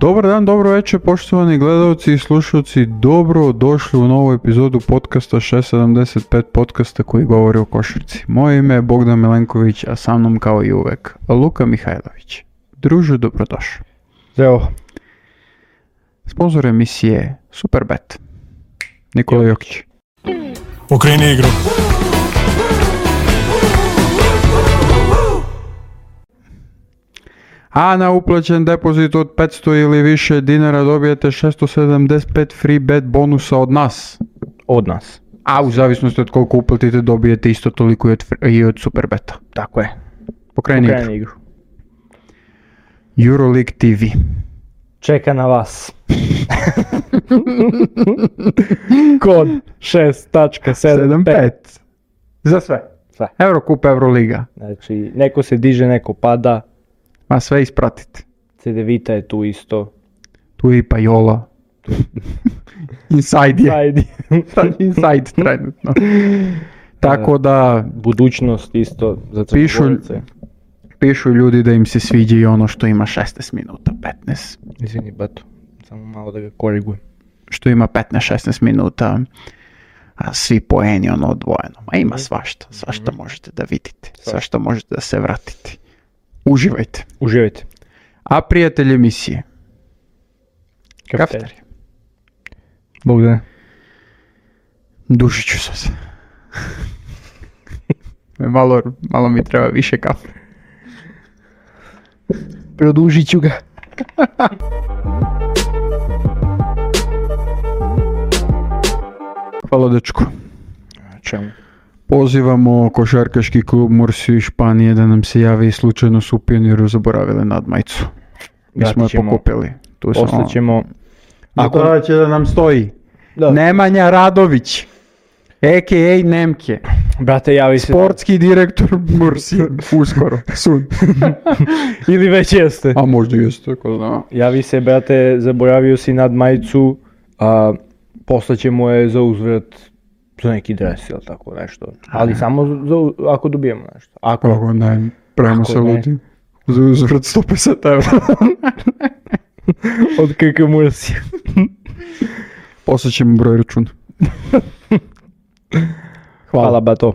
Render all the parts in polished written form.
Dobar dan, dobro večer, poštovani gledalci i slušalci, dobro došli u novu epizodu podcasta 675 podcasta koji govori o košarci. Moje ime je Bogdan Milenković, a sa mnom kao i uvek Luka Mihajlović. Druže, dobrodošao. Zdravo. Sponzor emisije Superbet, Nikola Jokić. Okreni igru. A na uplaćen depozit od 500 ili više dinara dobijete 675 free bet bonusa od nas. Od nas. A u zavisnosti od koliko uplatite dobijete isto toliko i od Superbeta. Tako je. Pokreni igru. Euroleague TV. Čeka na vas. Kod 6.75. Za sve. Sve. Eurocup, Euroliga. Znači, neko se diže, neko pada. Ma sve ispratite. CDVita je tu isto. Tu je i Pajola. Inside je. Inside trenutno. Tako da... Budućnost isto za crnogorce. Pišu ljudi da im se sviđa i ono što ima 16 minuta, 15. Izvini, bato. Samo malo da ga korigujem. Što ima 15-16 minuta. A svi poeni ono odvojeno. Ma ima svašta možete da vidite. Svašta možete da se vratite. Uživajte. A prijatelj emisije? Kafeterija. Bogdane. Dušit ću se. malo mi treba više kafe. Produžit ću ga. Hvala dečko. Čemu? Pozivamo košarkaški klub Mursiju iz Španije da nam se javi i slučajno su u Pioniru zaboravili nadmajicu. Mi smo je pokupili. Ostaćemo... Ako će da nam stoji. Da. Nemanja Radović. A.k.a. Nemke. Brate, javi se... Sportski direktor Mursije. Uskoro. Sun. Ili već jeste. A možda jeste, ko zna. Javi se, brate, zaboravio si nadmajicu, a poslaćemo je za uzvrat za neki dres ili tako nešto. Ali samo ako dobijemo nešto. Ako ne, pravimo se ludi. Za uzvrat 150 evra. Od KK Mursija. Poslaćemo broj računa. Hvala bato.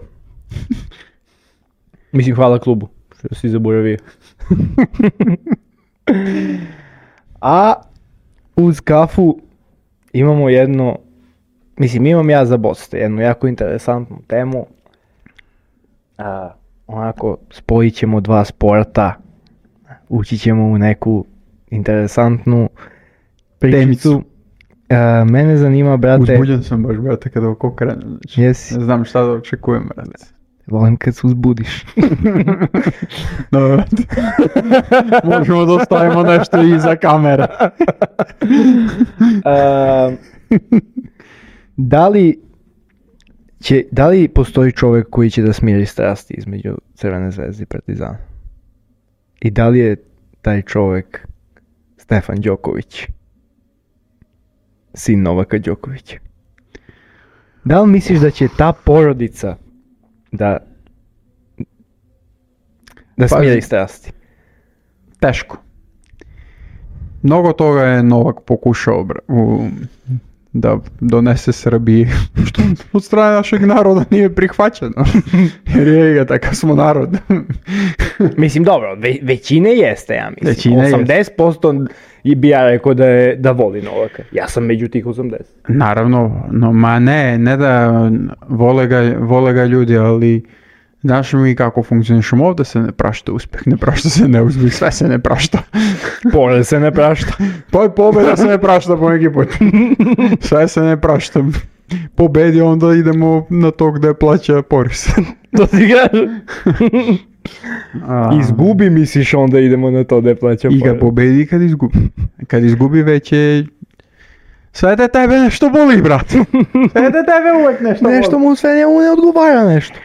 Mislim, hvala klubu što si zaboravio. A uz kafu imamo imam ja za Boste jednu jako interesantnu temu. Onako, spojit ćemo dva sporta, ući ćemo u neku interesantnu pričicu. Mene zanima, brate... Uzbuđen sam baš, brate, kada oko krenem. Znači, jesi. Ne znam šta da očekujem, brate. Volim kad se uzbudiš. No, brate. Možemo da ostavimo nešto iza kamere. Da li postoji čovjek koji će da smiri strasti između Crvene zvezde i Partizana? I da li je taj čovjek Stefan Đoković? Sin Novaka Đokovića. Da li misliš da će ta porodica da smiri strasti? Teško. Mnogo toga je Novak pokušao da donese Srbiji, što od strane našeg naroda nije prihvaćeno. Jer je ga, takav smo narod. Mislim, dobro, većine jeste, ja mislim. Većine 80% bi ja rekao da voli Novaka. Ja sam među tih 80. Naravno, ne da vole ga ljudi, ali znaš mi kako funkcionišemo, ovdje se ne prašta uspjeh, ne prašta se neuspjeh, sve se ne prašta. Pored se ne prašta. Pobjeda se ne prašta po neki put. Sve se ne prašta. Pobedi, onda idemo na to gdje plaća porez. To ti kažeš? Izgubi, misliš, onda idemo na to gdje plaća porez. I kad pobedi i kad izgubi. Kad izgubi već je... Sve da tebe nešto boli, brat. Sve da tebe uvijek nešto boli. Nešto mu sve ne odgovara nešto.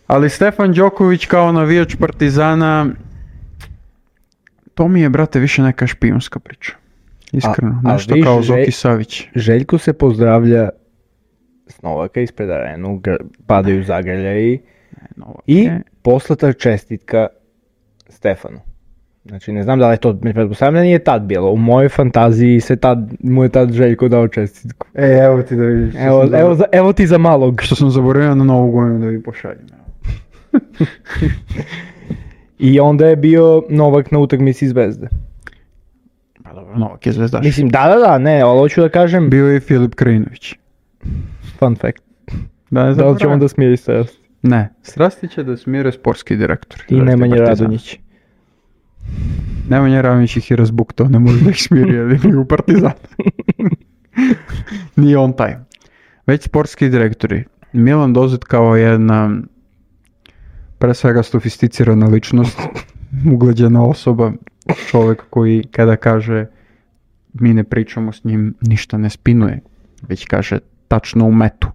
Ali Stefan Đoković kao navijač Partizana, to mi je, brate, više neka špijunska priča. Iskreno, nešto kao Zoki Savić. Željko se pozdravlja s Novaka ispred arenu, padaju zagrljaji i poslata čestitka Stefanu. Znači, ne znam da li je to, pretpostavljam da nije tad bilo. U mojoj fantaziji mu je tad Željko dao čestitku. Evo ti da vidiš. Evo ti za malog. Što sam zaboravio na Novu godinu da vi pošaljem. I onda je bio Novak na utakmici Zvezde. Pa dobro, Novak je zvezdaš. Mislim, da, ne, ali hoću da kažem... Bio je i Filip Krajinović. Fun fact. Da li će on da smiri strasti? Ne, strasti će da smire sportski direktor. I Nemanja Radonjić. Nemanja Radonjić ih je razbuktao, ne može da ih smiri, jer je u Partizan. Nije on taj. Već sportski direktori. Milan Dozet kao jedna pre svega sofisticirana ličnost, ugleđena osoba, čovjek koji kada kaže mi ne pričamo s njim, ništa ne spinuje, već kaže tačno u metu.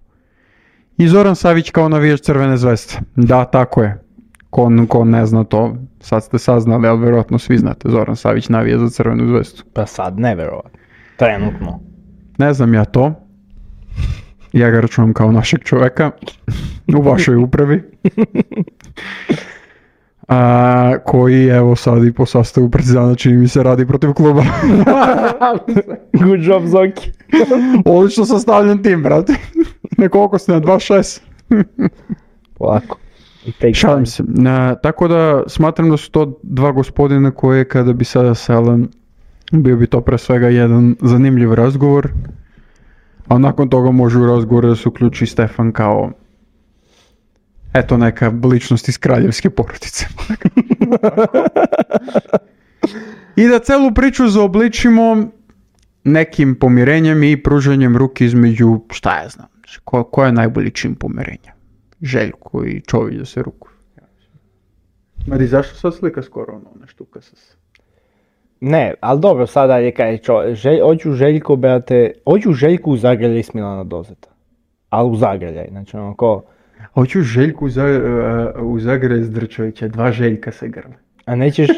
I Zoran Savić kao navijač Crvene zvezde. Da, tako je. Ko ne zna to, sad ste saznali, ali vjerojatno svi znate, Zoran Savić navija za Crvenu zvezdu. Pa sad ne verovatno. Trenutno. Ne znam ja to. Ja ga računam kao našeg čovjeka u vašoj upravi. Koji evo sad i po sastavu Partizana čini mi se radi protiv kluba. Good job, Zoki. Odlično sastavljen tim, brate. Nekoliko ste na 2-6. Polako. Šalim se. Tako da smatram da su to dva gospodina koje kada bi sada sela, bio bi to pre svega jedan zanimljiv razgovor. A nakon toga može u razgovoru da se uključi Stefan kao eto neka ličnost iz kraljevske porodice. I da celu priču zaobličimo nekim pomirenjem i pružanjem ruke između, šta ja znam, ko je najbolji čin pomirenja? Željko i Čović da se rukuju. Mari, zašto sad slika skoro ono štuka sa se? Ne, ali dobro, sada je kaj hoću Željko, brate, hoću Željku u zagrljaj s Milana Dozeta. Ali u zagrljaj, znači ono ko... Hoću Željku u zagrljaj s Drčovića, dva Željka se grle. A nećeš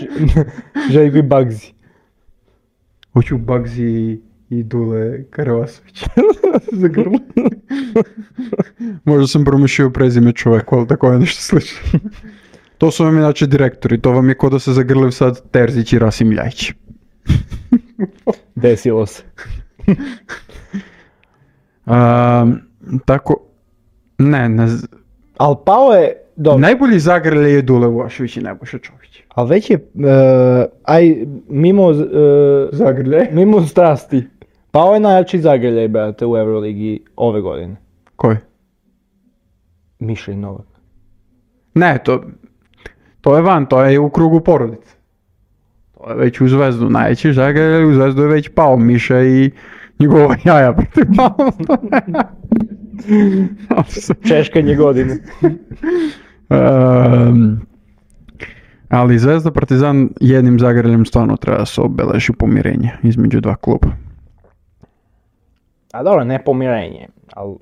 Željko i Bagzi. Hoću Bagzi i Dule Karavasović. Za grlo. Možda sam promišljio prezime čoveku, ali tako je nešto slično. To su vam inače direktori, to vam je ko da se zagrlив sad Terzić i Rasim Ljajić. Desilo se. Tako, ne. Ali pao je, dobro. Najbolji zagrljaj je Dule Vuašević i Nebojša Čović. Ali već je, zagrljaj? Mimo strasti. Pao je najjači zagrljaj, brate, u Euroligi ove godine. Koji? Miša i Novak. Ne, to je van, to je u krugu porodice. To je već u Zvezdu, najveći zagrljaj u Zvezdu je već pao, Miša i njegova jaja protiv pao. Češkanje godine. Ali Zvezda Partizan jednim zagrljem stvarno treba da se obeleži pomirenje između dva kluba. A dobro, ne pomirenje, ali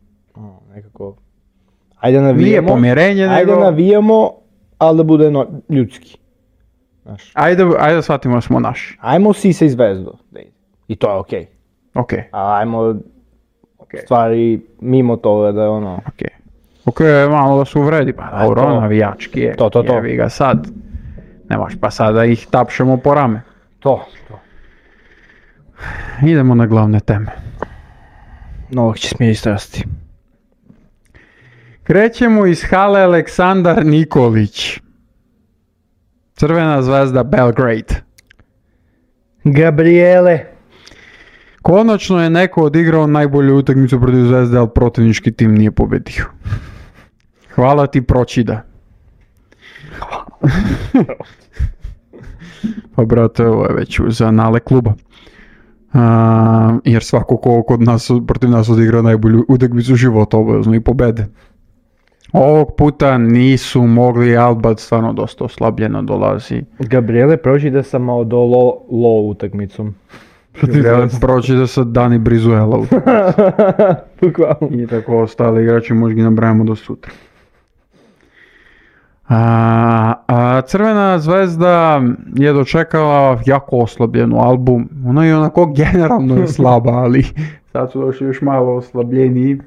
nekako... Ajde navijamo. Nije pomirenje, nego... Ajde navijamo, ali da bude ljudski. Znaš. Ajde da shvatimo da smo naši. Ajmo Sisa i Zvezdu. I to je okej. Okej. A ajmo stvari mimo toga da je ono... Okej, malo da se uvredi, pa dobro, navijački je. To. Jevi ga sad. Nemaš pa sad da ih tapšemo po rame. To. Idemo na glavne teme. Novak će smiri strasti. Krećemo iz hale Aleksandar Nikolić. Crvena zvezda Belgrade. Gabriele. Konačno je neko odigrao najbolju utakmicu protiv Zvezde, ali protivnički tim nije pobedio. Hvala ti Pročida. Pa brate, ovo je već za anale kluba. Jer svako ko kod nas, protiv nas odigra najbolju utakmicu života, obavezno i pobede. Ovog puta nisu mogli, Alba stvarno dosta oslabljeno dolazi. Gabriele Pročida sam malo do low utakmicom. Gabriele Pročida sa Dani Brizuela. Bukvalno. I tako ostali igrači, možda ih nabrajamo do sutra. Crvena zvezda je dočekala jako oslabljenu Albu. Ona je onako generalno je slaba, ali sad su došli još malo oslabljeniji.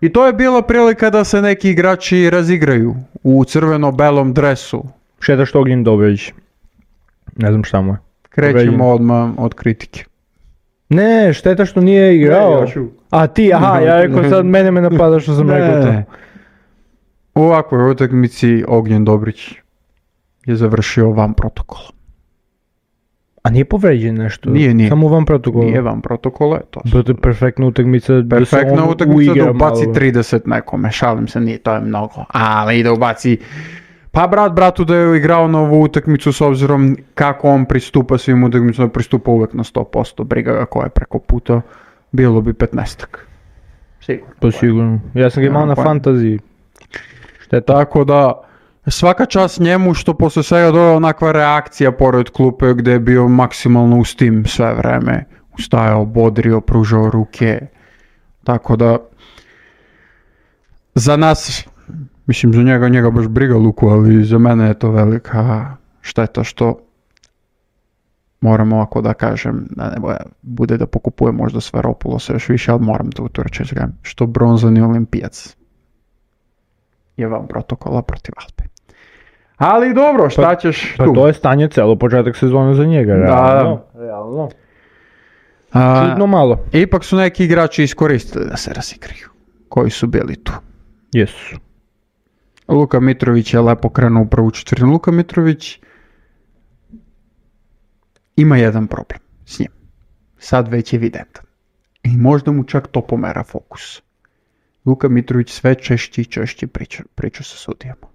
I to je bila prilika da se neki igrači razigraju u crveno-belom dresu. Šedaš Ognjen Dobrović. Ne znam šta mu je. Krećemo odmah od kritike. Ne, šteta što nije igrao. A ti, aha, ja rekao sad mene me napada što sam rekao to. U ovakvoj utakmici Ognjen Dobrić je završio van protokola. A nije povređen nešto? Nije. Samo van protokola? Nije van protokola, to su. To je perfektna utakmica Perfektna utakmica da ubaci 30 nekome, šalim se, nije, to je mnogo. Ali da ubaci, pa bratu da je igrao na ovu utakmicu s obzirom kako on pristupa svim utakmicama, pristupa uvek na 100%, briga ga ko je preko puta, bilo bi 15-ak. Sigurno. Pa sigurno. Ja sam ga imao na fantaziji. Šteta. Tako da, svaka čast njemu što posle svega dođe onakva reakcija pored klupe gdje je bio maksimalno uz tim sve vreme. Ustajao, bodrio, pružao ruke. Tako da, za nas, mislim za njega baš briga Luku, ali za mene je to velika šteta što moram ovako da kažem, da ne bude da pokupuje možda Sveropulosa još više, ali moram da utoreći što bronzani olimpijac je van protokola protiv Alpe. Ali dobro, šta ćeš tu? Pa to je stanje celo početak sezone za njega, realno. Čudno malo. Ipak su neki igrači iskoristili da se razigraju, koji su bili tu. Jesu. Luka Mitrović je lepo krenuo u prvu četvrtinu. Luka Mitrović ima jedan problem s njim. Sad već je evidentan. I možda mu čak to pomera fokus. Luka Mitrović sve češće priča sa sudijama.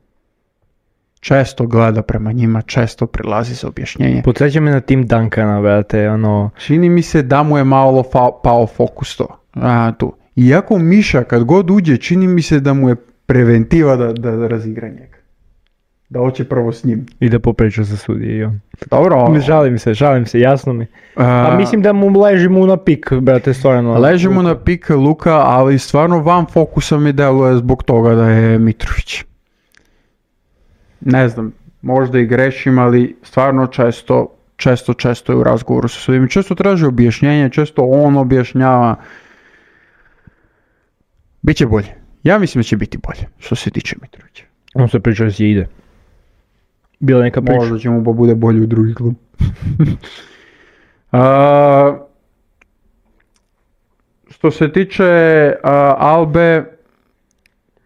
Često gleda prema njima, često prilazi za objašnjenje. Podsjeća me na Tim Duncana, brate, ono... Čini mi se da mu je malo pao fokus tu. Iako Miša kad god uđe, čini mi se da mu je preventiva da razigra njega. Da hoće prvo s njim. I da popriča sa sudije i on. Dobro. Žalim se, jasno mi. A mislim da mu leži mu na pik, brate, stvarno. Leži mu na pik Luka, ali stvarno van fokusa mi deluje zbog toga da je Mitrović. Ne znam, možda i grešim, ali stvarno često je u razgovoru sa sudijima. Često traži objašnjenje, često on objašnjava. Biće bolje. Ja mislim da će biti bolje, što se tiče Mitrovića. On se priča da se ide. Bila neka priča. Možda će mu pa bude bolje u drugi klub. Što se tiče Albe,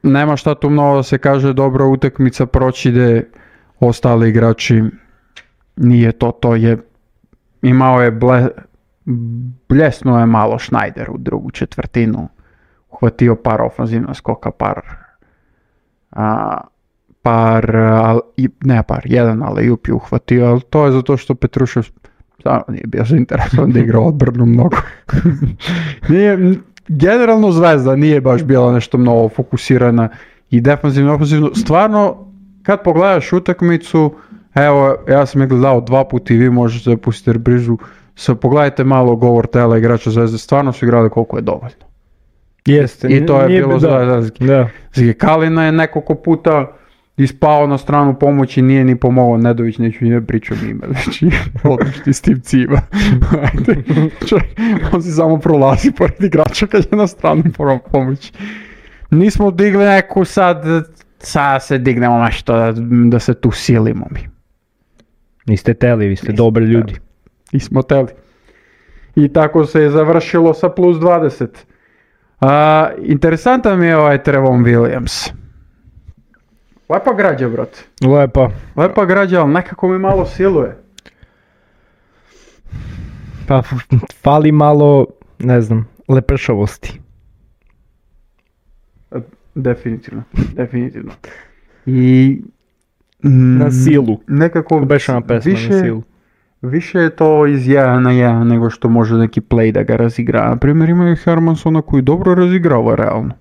nema šta tu mnogo da se kaže, dobra utakmica proći ide, ostali igrači nije to je, imao je bljesnuo je malo Schneider u drugu četvrtinu, uhvatio par ofanzivna skoka, jedan alley-oop je uhvatio, ali to je zato što Petrušev stvarno nije bio zainteresovan da igra odbranu mnogo. Generalno Zvezda nije baš bila nešto mnogo fokusirana i defanzivno. Stvarno, kad pogledaš utakmicu, evo, ja sam je gledao 2 puta i vi možete da pustite reprizu, pogledajte malo govor tela igrača Zvezde, stvarno su igrali koliko je dovoljno. Jeste. I to je bilo Zvezda. Kalina je nekoliko puta ispao na stranu pomoći, nije ni pomogao Nedović, neću ni da pričam ime, znači odlični s tim cima. On si samo prolazi pored igrača kad je na stranu pomoći. Nismo digli neku sad se dignemo nešto da se tu silimo mi. Niste teli, vi ste dobri ljudi. Nismo teli. I tako se je završilo sa plus 20. Interesantan mi je ovaj Trevon Williams. Lepa građa, brate. Lepa građa, ali nekako mi malo siluje. Pa, fali malo, ne znam, lepršavosti. Definitivno. I... na silu. Nekako Bešana pesma na silu. Više je to iz 1 na 1 nego što može neki play da ga razigra. Na primjer, ima je Hermansona koji dobro razigrava realno.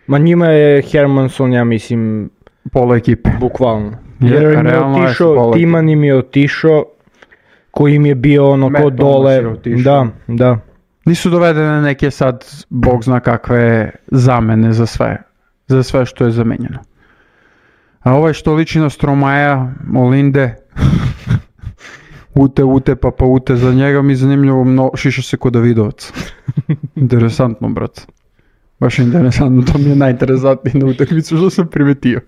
Ma njima je Hermanson, ja mislim, pola ekipe. Bukvalno. Jer im je otišao, Timan im je otišao, koji im je bio ono ko dole. Da. Nisu dovedene neke sad, bog zna kakve zamene za sve što je zamenjeno. A ovaj što liči na Stromaja, Molinde, ute za njega mi zanimljivo, šiša se kod Davidovac. Interesantno, brat. Baš interesantno, to mi je najinteresantnije na utakmicu što sam primetio.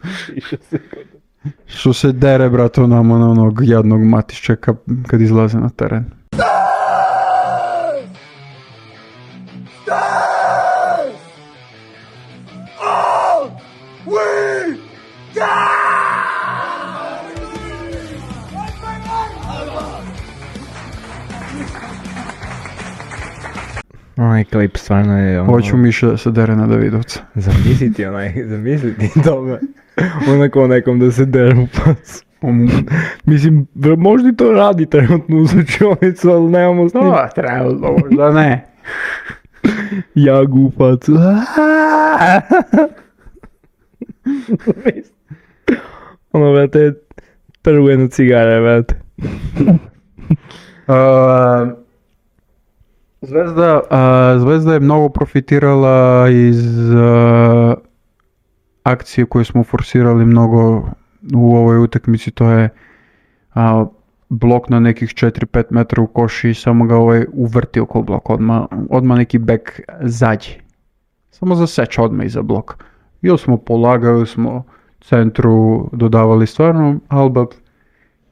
Što se dere, brato, nama na onog jadnog Matiščeka kad izlaze na teren. Onaj klip stvarno je ono... Hoću Miša da se dere na Davidovca. Zamisliti toga. Onako nekom da se dere u pas. Mislim, možda i to radi trenutno u slučionicu, ali nemamo s njim. Trebalo, možda ne. Jagu u facu. Ono, vrate, prvo jedno cigare, vrate. Zvezda je mnogo profitirala iz akcije koje smo forsirali mnogo u ovoj utakmici, to je blok na nekih 4-5 metra u koši i samo ga uvrti oko bloka, odmah neki bek zađe. Samo zaseče odmah iza bloka. Ili smo polagali, smo centru dodavali stvarno,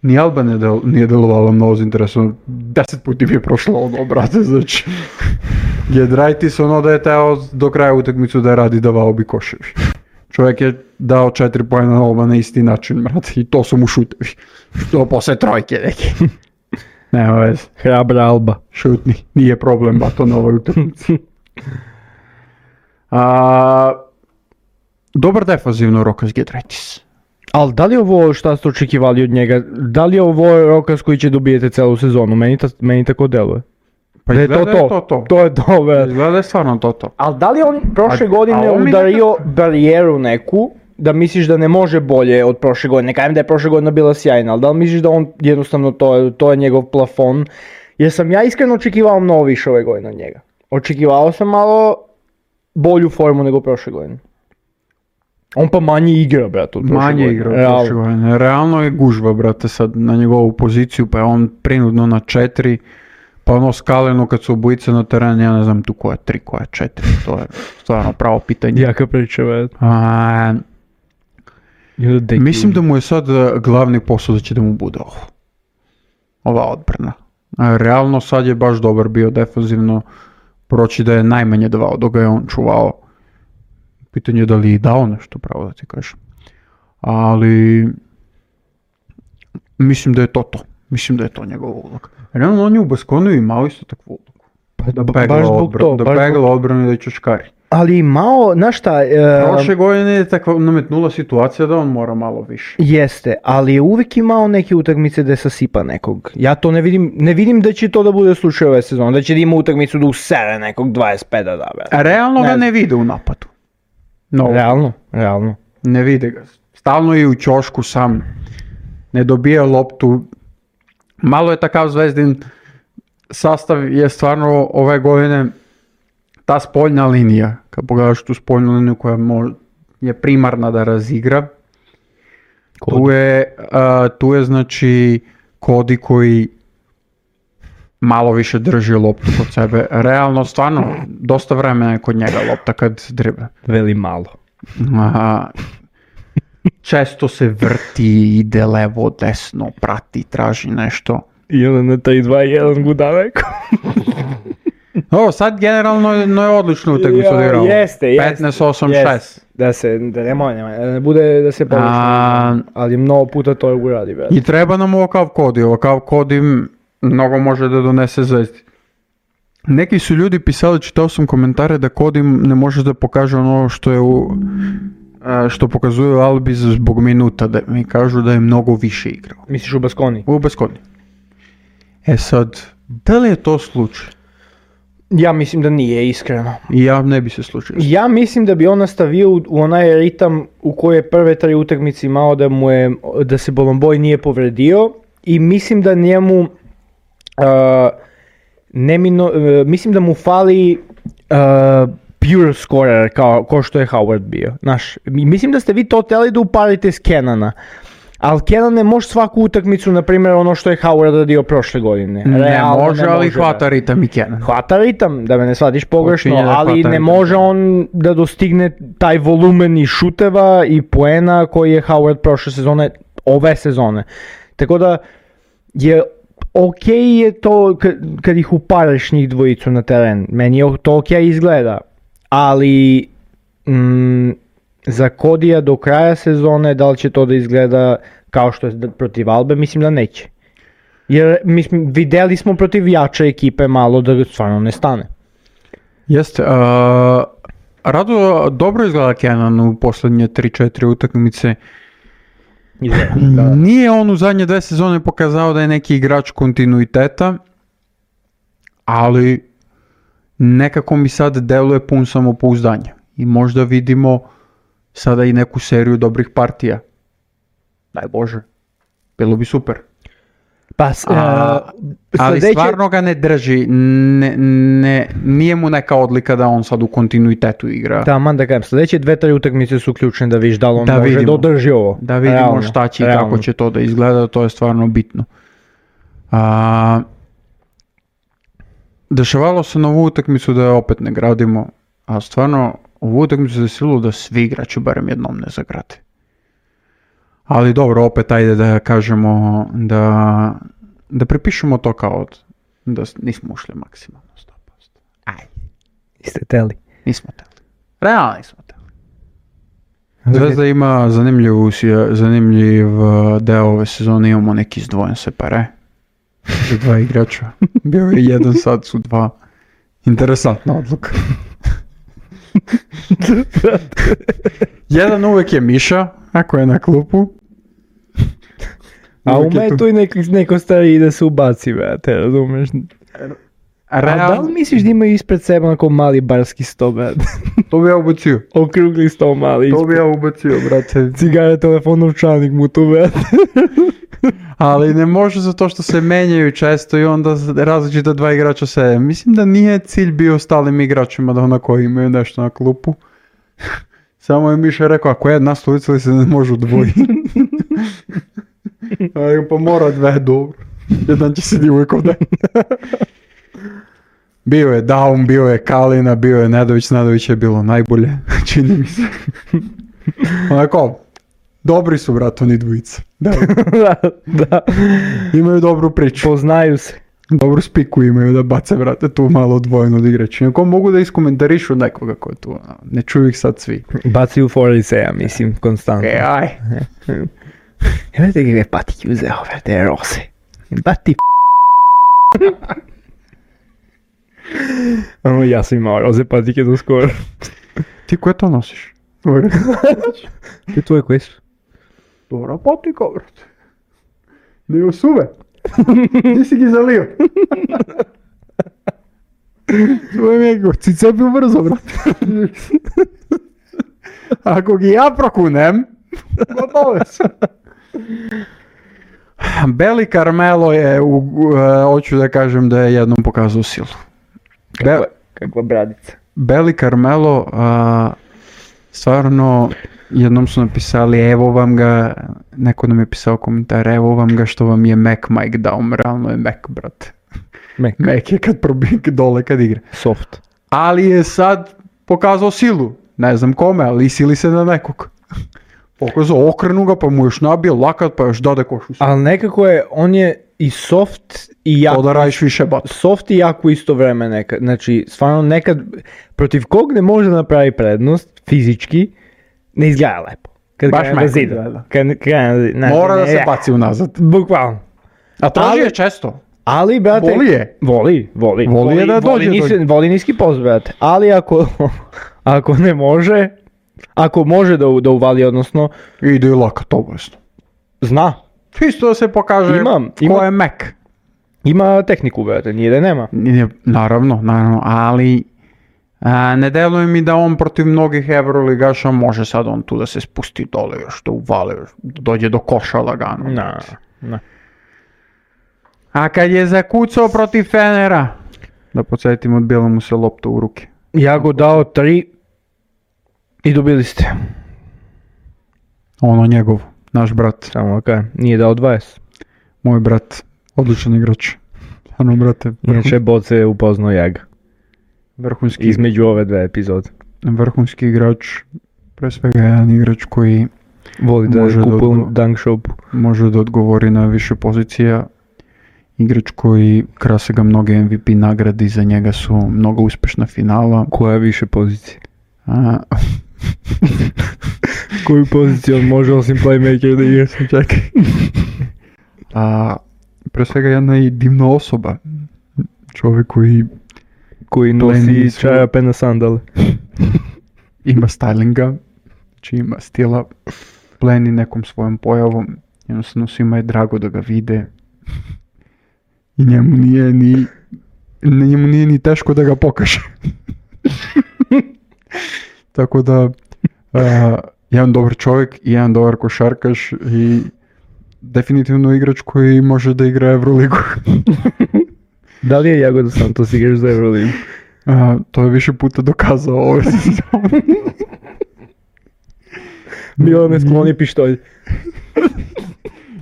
ni Alba nije delovala mnogo interesantno, 10 puti mi je prošlo ono, brate, znači Giedraitis ono da je teo do kraja utakmicu da radi, davao bi koševi. Čovjek je dao 4 poena na Alba na isti način, brate, i to su mu šutevi. Što posle trojke neki. Nema veze. Hrabra Alba. Šutni, nije problem bato na ovoj utakmici. Dobar defanzivno Rokas Giedraitis. Ali da li je ovo šta ste očekivali od njega? Da li je ovo Rokas koji će dobijete celu sezonu? Meni tako deluje. Pa da je to. To je to, be. Izgleda je stvarno to. Ali da li on prošle godine udario barijeru neku, da misliš da ne može bolje od prošle godine? Ne kažem da je prošle godina bila sjajna, ali da li misliš da on jednostavno to je njegov plafon? Jer sam ja iskreno očekivao mnogo više ove godine od njega. Očekivao sam malo bolju formu nego prošle godine. On pa manje igra, brate, od prošle godine. Manje igra od prošle godine. Realno je gužva, brate, sad na njegovu poziciju, pa je on prinudno na 4, pa ono skaleno kad su obojice na terenu, ja ne znam tu koja je 3, koja je 4, to je stvarno pravo pitanje. Jaka priča, brate. Mislim da mu je sad glavni posao da će da mu bude ova odbrana. Realno sad je baš dobar bio defanzivno, proći da je najmanje davao, dok ga je on čuvao. Pitanje je da li je dao nešto, pravo da ti kažem. Ali mislim da je to. Mislim da je to njegov ulog. Realno on je u Baskoniju imao isto takvu ulogu. Da pegla odbranu i da čačkari. Ali imao, znaš šta... Prošle godine je takva nametnula situacija da on mora malo više. Jeste, ali je uvijek imao neke utakmice da sasipa nekog. Ja to ne vidim da će to da bude slučaj ove sezone, da će da ima utakmicu da usere nekog 25 da da. Realno ga ne vide u napadu. No. Realno. Ne vide ga. Stalno je u ćošku sam. Ne dobija loptu. Malo je takav Zvezdin sastav je stvarno ove godine ta spoljna linija. Kad pogledaš tu spoljnu liniju koja je primarna da razigra. Tu je znači Kodi koji malo više drži loptu kod sebe. Realno, stvarno, dosta vremena je kod njega lopta kad drible. Veli malo. Često se vrti, ide levo, desno, prati, traži nešto. I onda na 3-2-1 guda neko. Sad generalno je odlično utakmicu odigrao. Jeste. 15-8-6. Da ne bude da se površno, ali mnogo puta to uradi. I treba nam ovakav Kodi mnogo može da donese Zvezdi. Neki su ljudi pisali, čitao sam komentare da Kodi ne može da pokaže ono što pokazuje u Albi zbog minuta, da mi kažu da je mnogo više igrao. Misliš u Baskoni? U Baskoni. Sad, da li je to slučaj? Ja mislim da nije, iskreno. Ja ne bi se slučio. Ja mislim da bi on nastavio u onaj ritam u kojoj je prve 3 utakmice imao da se Bolomboj nije povredio i mislim da njemu mislim da mu fali pure scorer kao što je Howard bio. Mislim da ste vi to htjeli da uparite s Kenana. Ali Kenan ne može svaku utakmicu, na primjer, ono što je Howard radio prošle godine. Ne može, ali hvata ritam i Kenan. Hvata ritam, da me ne shvatiš pogrešno, ali ne može on da dostigne taj volumen i šuteva i poena koji je Howard prošle sezone ove sezone. Tako da je ok je to kad ih uparaš njih dvojicu na teren, meni je to ok izgleda, ali za Kodija do kraja sezone da li će to da izgleda kao što je protiv Albe, mislim da neće. Jer videli smo protiv jače ekipe malo da stvarno ne stane. Jeste, dobro izgleda Kenan u posljednje 3-4 utakmice. Da. Nije on u zadnje 2 sezone pokazao da je neki igrač kontinuiteta, ali nekako mi sad deluje pun samopouzdanja i možda vidimo sada i neku seriju dobrih partija. Daj Bože, bilo bi super. Pa, ali stvarno ga ne drži, nije mu neka odlika da on sad u kontinuitetu igra. Da kažem, sljedeće 2-3 utakmice su ključne da vidiš da li on može da održi ovo. Da vidimo realno, šta će i kako će to da izgleda, to je stvarno bitno. Dešavalo se na ovu utakmicu da je opet ne gradimo, a stvarno ovu utakmicu se desilo da svi igrači barem jednom ne zagrade. Ali dobro, opet ajde da kažemo da prepišemo to kao da nismo ušli maksimalno 100%. Ajde. Niste teli? Nismo teli. Realno nismo teli. Zvezda ima zanimljiv deo ove sezone, imamo neki izdvojen separe. Za 2 igrača. Bio je 1, sad su 2. Interesantna odluka. Jedan uvek je Miša, ako je na klupu. A u metu i neko stari da se ubaci, te razumeš? A da li misliš da imaju ispred sebe onako mali barski sto, brate? To bi ja ubacio. Okrugli sto mali ispred. To bi ja ubacio, brate. Cigare, telefon, novčanik mu tu, brate. Ali ne može zato što se menjaju često i onda različita 2 igrača se. Mislim da nije cilj bio ostalim igračima da onako imaju nešto na klupu. Samo je Miša rekao, ako jedna stolica li se ne može udvojiti. Pa mora 2, dobro. Jedan će se uvijek ovdje. Bio je Daum, bio je Kalina, bio je Nedović je bilo najbolje, čini mi se. Onako, dobri su, brat, oni dvojica. Da. Imaju dobru priču. Poznaju se. Dobru spiku imaju da bace, brate, tu malo odvojeno od igrača. Ako mogu da iskomentarišu nekoga ko je tu, ne čuju ih sad svi. Baci u Foriseja, mislim, konstantno. Aj. Imate gdje patike uzeo, te rose. Bati ja sam imao roze patike do skoro. Ti koje to nosiš? Ti tvoje koje su? Dobra patika, brate. Ne osuve. Nisi gi zalio. Svoje mjego, cice bi brzo, brate. Ako gi ja prokunem, gotove su. Beli Carmelo je, hoću da kažem da je jednom pokazao silu. Kakva bradica. Beli Carmelo, stvarno, jednom su napisali, evo vam ga, neko nam je pisao komentar, evo vam ga što vam je Mac Mike dao, realno je Mac, brate. Mac je kad probije dole kad igra. Soft. Ali je sad pokazao silu, ne znam kome, ali sili se na nekog. Pokazao, okrenu ga, pa mu još nabije lakat, pa još dade košu. Ali nekako je, on je i soft i jako. To da radiš više bat. Soft i jako isto vreme nekad. Znači, stvarno nekad, protiv kog ne može napravi prednost, fizički, ne izgleda lepo. Kad baš krene da zidu. Mora da se baci unazad. Bukvalno. A traži je često. Ali, brate, voli je da dođe. Voli niski post, brate. Ali ako ne može, ako može da uvali, odnosno... Ide i lakat, obavezno. Zna. Čisto da se pokaže ko je Mac. Ima tehniku, brate, nije da nema. Naravno, ali ne deluje mi da on protiv mnogih Euroligaša može sad on tu da se spusti dole, još da uvali, dođe do koša lagano. Na. A kad je zakucao protiv Fenera, da podsjetim, odbila mu se lopta u ruke. Ja go dao 3 i dobili ste. Ono njegov, naš brat. Samo kaj, nije dao 20. Moj brat, odličan igrač. Ano, brate. Inače, Boce je upoznao Jaga. Vrhunski. Između ove 2 epizode. Vrhunski igrač, pre svega jedan igrač koji Voli da Može da kupuje odgo- u dunk shopu. može da odgovori na više pozicija. Igrač koji krase ga mnoge MVP nagradi, za njega su mnogo uspešna finala. Koja je više pozicija? A, Koju poziciju on može osim playmaker da igra? čekaj. Pre svega jedna i divna osoba. Čovjek koji Koji Pleni nosi su- čarape na sandale. ima stylinga, znači ima stila, pleni nekom svojom pojavom, jednostavno svima je drago da ga vide i njemu nije ni teško da ga pokaže. Tako da, jedan dobar čovjek i jedan dobar košarkaš i definitivno igrač koji može da igra Euroligu. Da li je Jagoda Santos igrač za Euroligu? To je više puta dokazao ove sezone. Bilo ne skloni pištolj.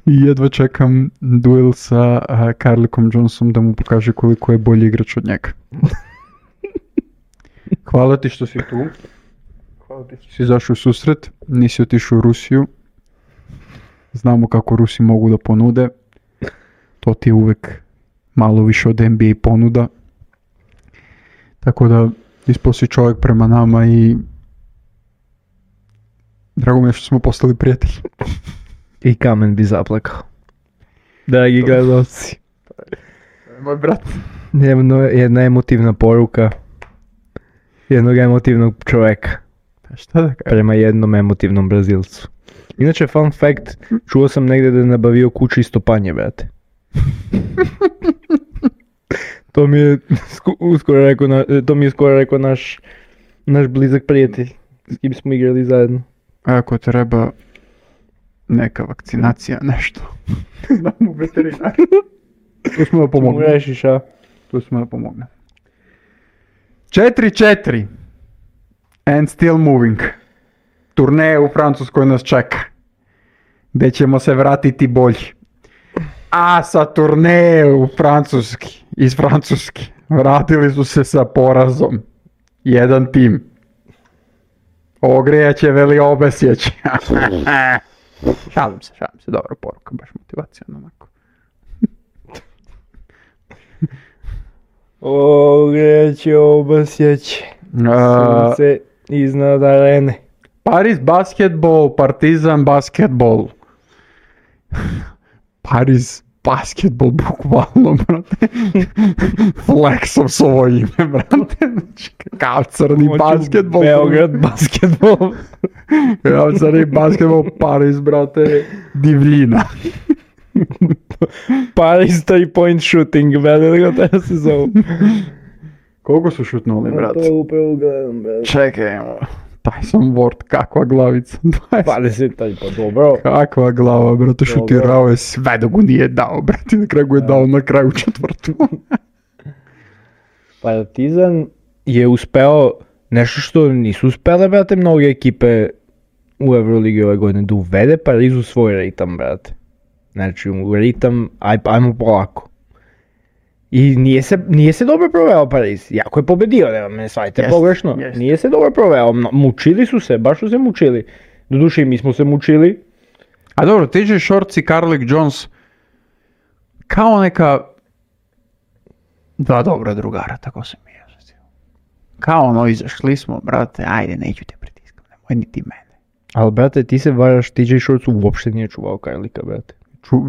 I jedva čekam duel sa Carlicom Johnsonom da mu pokaže koliko je bolji igrač od njega. Hvala ti što si tu. Hvala ti što si izašao u susret. Nisi otišao u Rusiju. Znamo kako Rusi mogu da ponude. To ti je uvek malo više od NBA ponuda. Tako da ispao si čovjek prema nama i drago mi je što smo postali prijatelji. I kamen bi zaplakao. Dragi gledalci, Moj brat. jedna emotivna poruka jednog emotivnog čovjeka Šta da kažem? prema jednom emotivnom Brazilcu. Inače, fun fact, čuo sam negdje da je nabavio kuću isto panje, brate. To mi je skoro rekao naš blizak prijatelj s kim smo igrali zajedno. Ako treba neka vakcinacija, nešto. Da mu veterinar. Tu smo da Mu pomogne. rešiš, a? Tu smo da pomogne. 4-4. And still moving. Turneje u Francuskoj nas čeka. Gdje ćemo se vratiti bolji. A sa turneje u Francuski, iz Francuske, vratili su se sa porazom. Jedan tim. Ogrijat će veli obesjeće. Šalim se, dobra poruka, baš motivacijona onako. Ogreće obasjeće. Sunce iznad arene. Paris basketball, Partizan basketball. Paris basketball, bukvalno, brate. Flexom svoje ime, brate. Znači, kao crni basketball. Beograd basketball. Kao crni basketball, Paris, brate, divljina. Paris 3-point shooting, brate, da ga treba se zove. Koliko su šutnuli, brate? To upravo gledam, brate. Čekaj, Tyson Ward, kakva glavica. 20, pa dobro. Kakva glava, brate, šutirao je sve dok mu nije dao, brate, na kraju je dao na kraju četvrtu. Partizan je uspeo nešto što nisu uspele, brate, mnoge ekipe u Euroligi ove godine, da uvede Pariz u svoj ritam, brate. Znači, u ritam, ajmo polako. I nije se dobro proveo Pariz, jako je pobedio, nema me shvatite pogrešno. Jest. Nije se dobro proveo, mučili su se, baš su se mučili. Doduše i mi smo se mučili. A dobro, TJ Shorts i Carlik Jones kao neka dva dobra drugara, tako se mi je. Kao ono, izašli smo, brate, ajde, neću te pritiskam, nemoj niti mene. Ali, brate, ti se varaš, TJ Shorts uopšte nije čuvao Carlika, brate.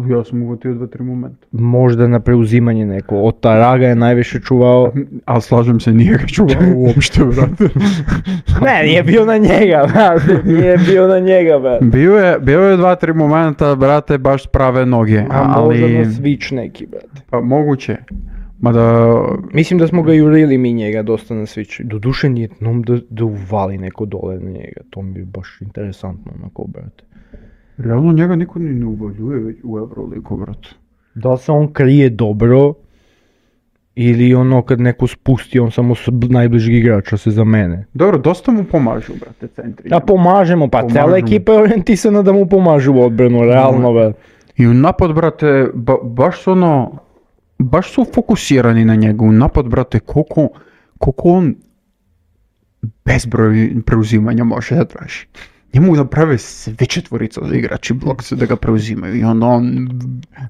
Ja sam uvatio 2-3 momenta. Možda na preuzimanje neko, od Taraga je najviše čuvao. Ali slažem se, nije ga čuvao uopšte, brate. Ne, nije bio na njega, brate, nije bio na njega, brate. Bio je 2-3 momenta, brate, baš s prave noge, A možda ali... na switch neki, brate. Pa moguće. Mada... Mislim da smo ga jurili mi njega dosta na switch. Doduše nije da uvali neko dole na njega, to mi je baš interesantno onako, brate. Realno njega niko ni ne uvaljuje već u Euroligu, brate. Da se on krije dobro, ili ono kad neko spusti, on samo s najbližeg igrača se zamene. Dobro, dosta mu pomažu, brate, centri. Da pomažemo, pa cijela ekipa je orijentisana da mu pomažu u odbranu, realno, brate. I u napad, brate, baš su ono, baš su fokusirani na njega. U napad, brate, koliko on bezbroj preuzimanja može da traži. njemu naprave sve četvorica od igrači blokce da ga preuzimaju i onda on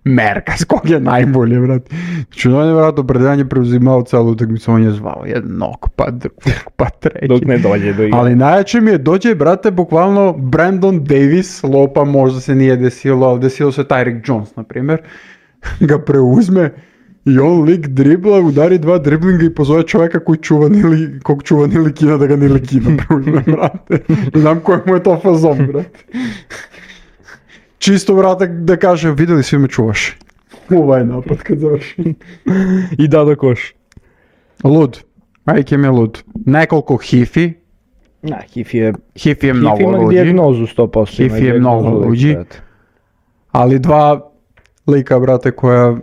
merka s kog je najbolje, brate. Znači on je vratno predanje preuzimao celu utakmicu, on je zvao jednog, pa drugog, pa treći. Dok ne dođe do igra. Ali najjače mi je, dođe, brate, bukvalno Brandon Davis, lopa možda se nije desilo, ali desilo se Tyreek Jones, na primjer, ga preuzme i on lik dribla, udari 2 driblinga i pozove čovjeka kog čuva Nilikina da ga Nilikina preuzme, brate. Ne znam koji mu je to fazon, brate. Čisto, brate, da kaže, vidjeli svi me čuvaš. Ovaj napad kad završi. I da koš. Lud. Majke mi je lud. Nekoliko hifi. Na, Hifi je Mnogo ima luđi. dijagnozu 100%. Hifi je mnogo luđi. Ali 2 lika, brate, koja...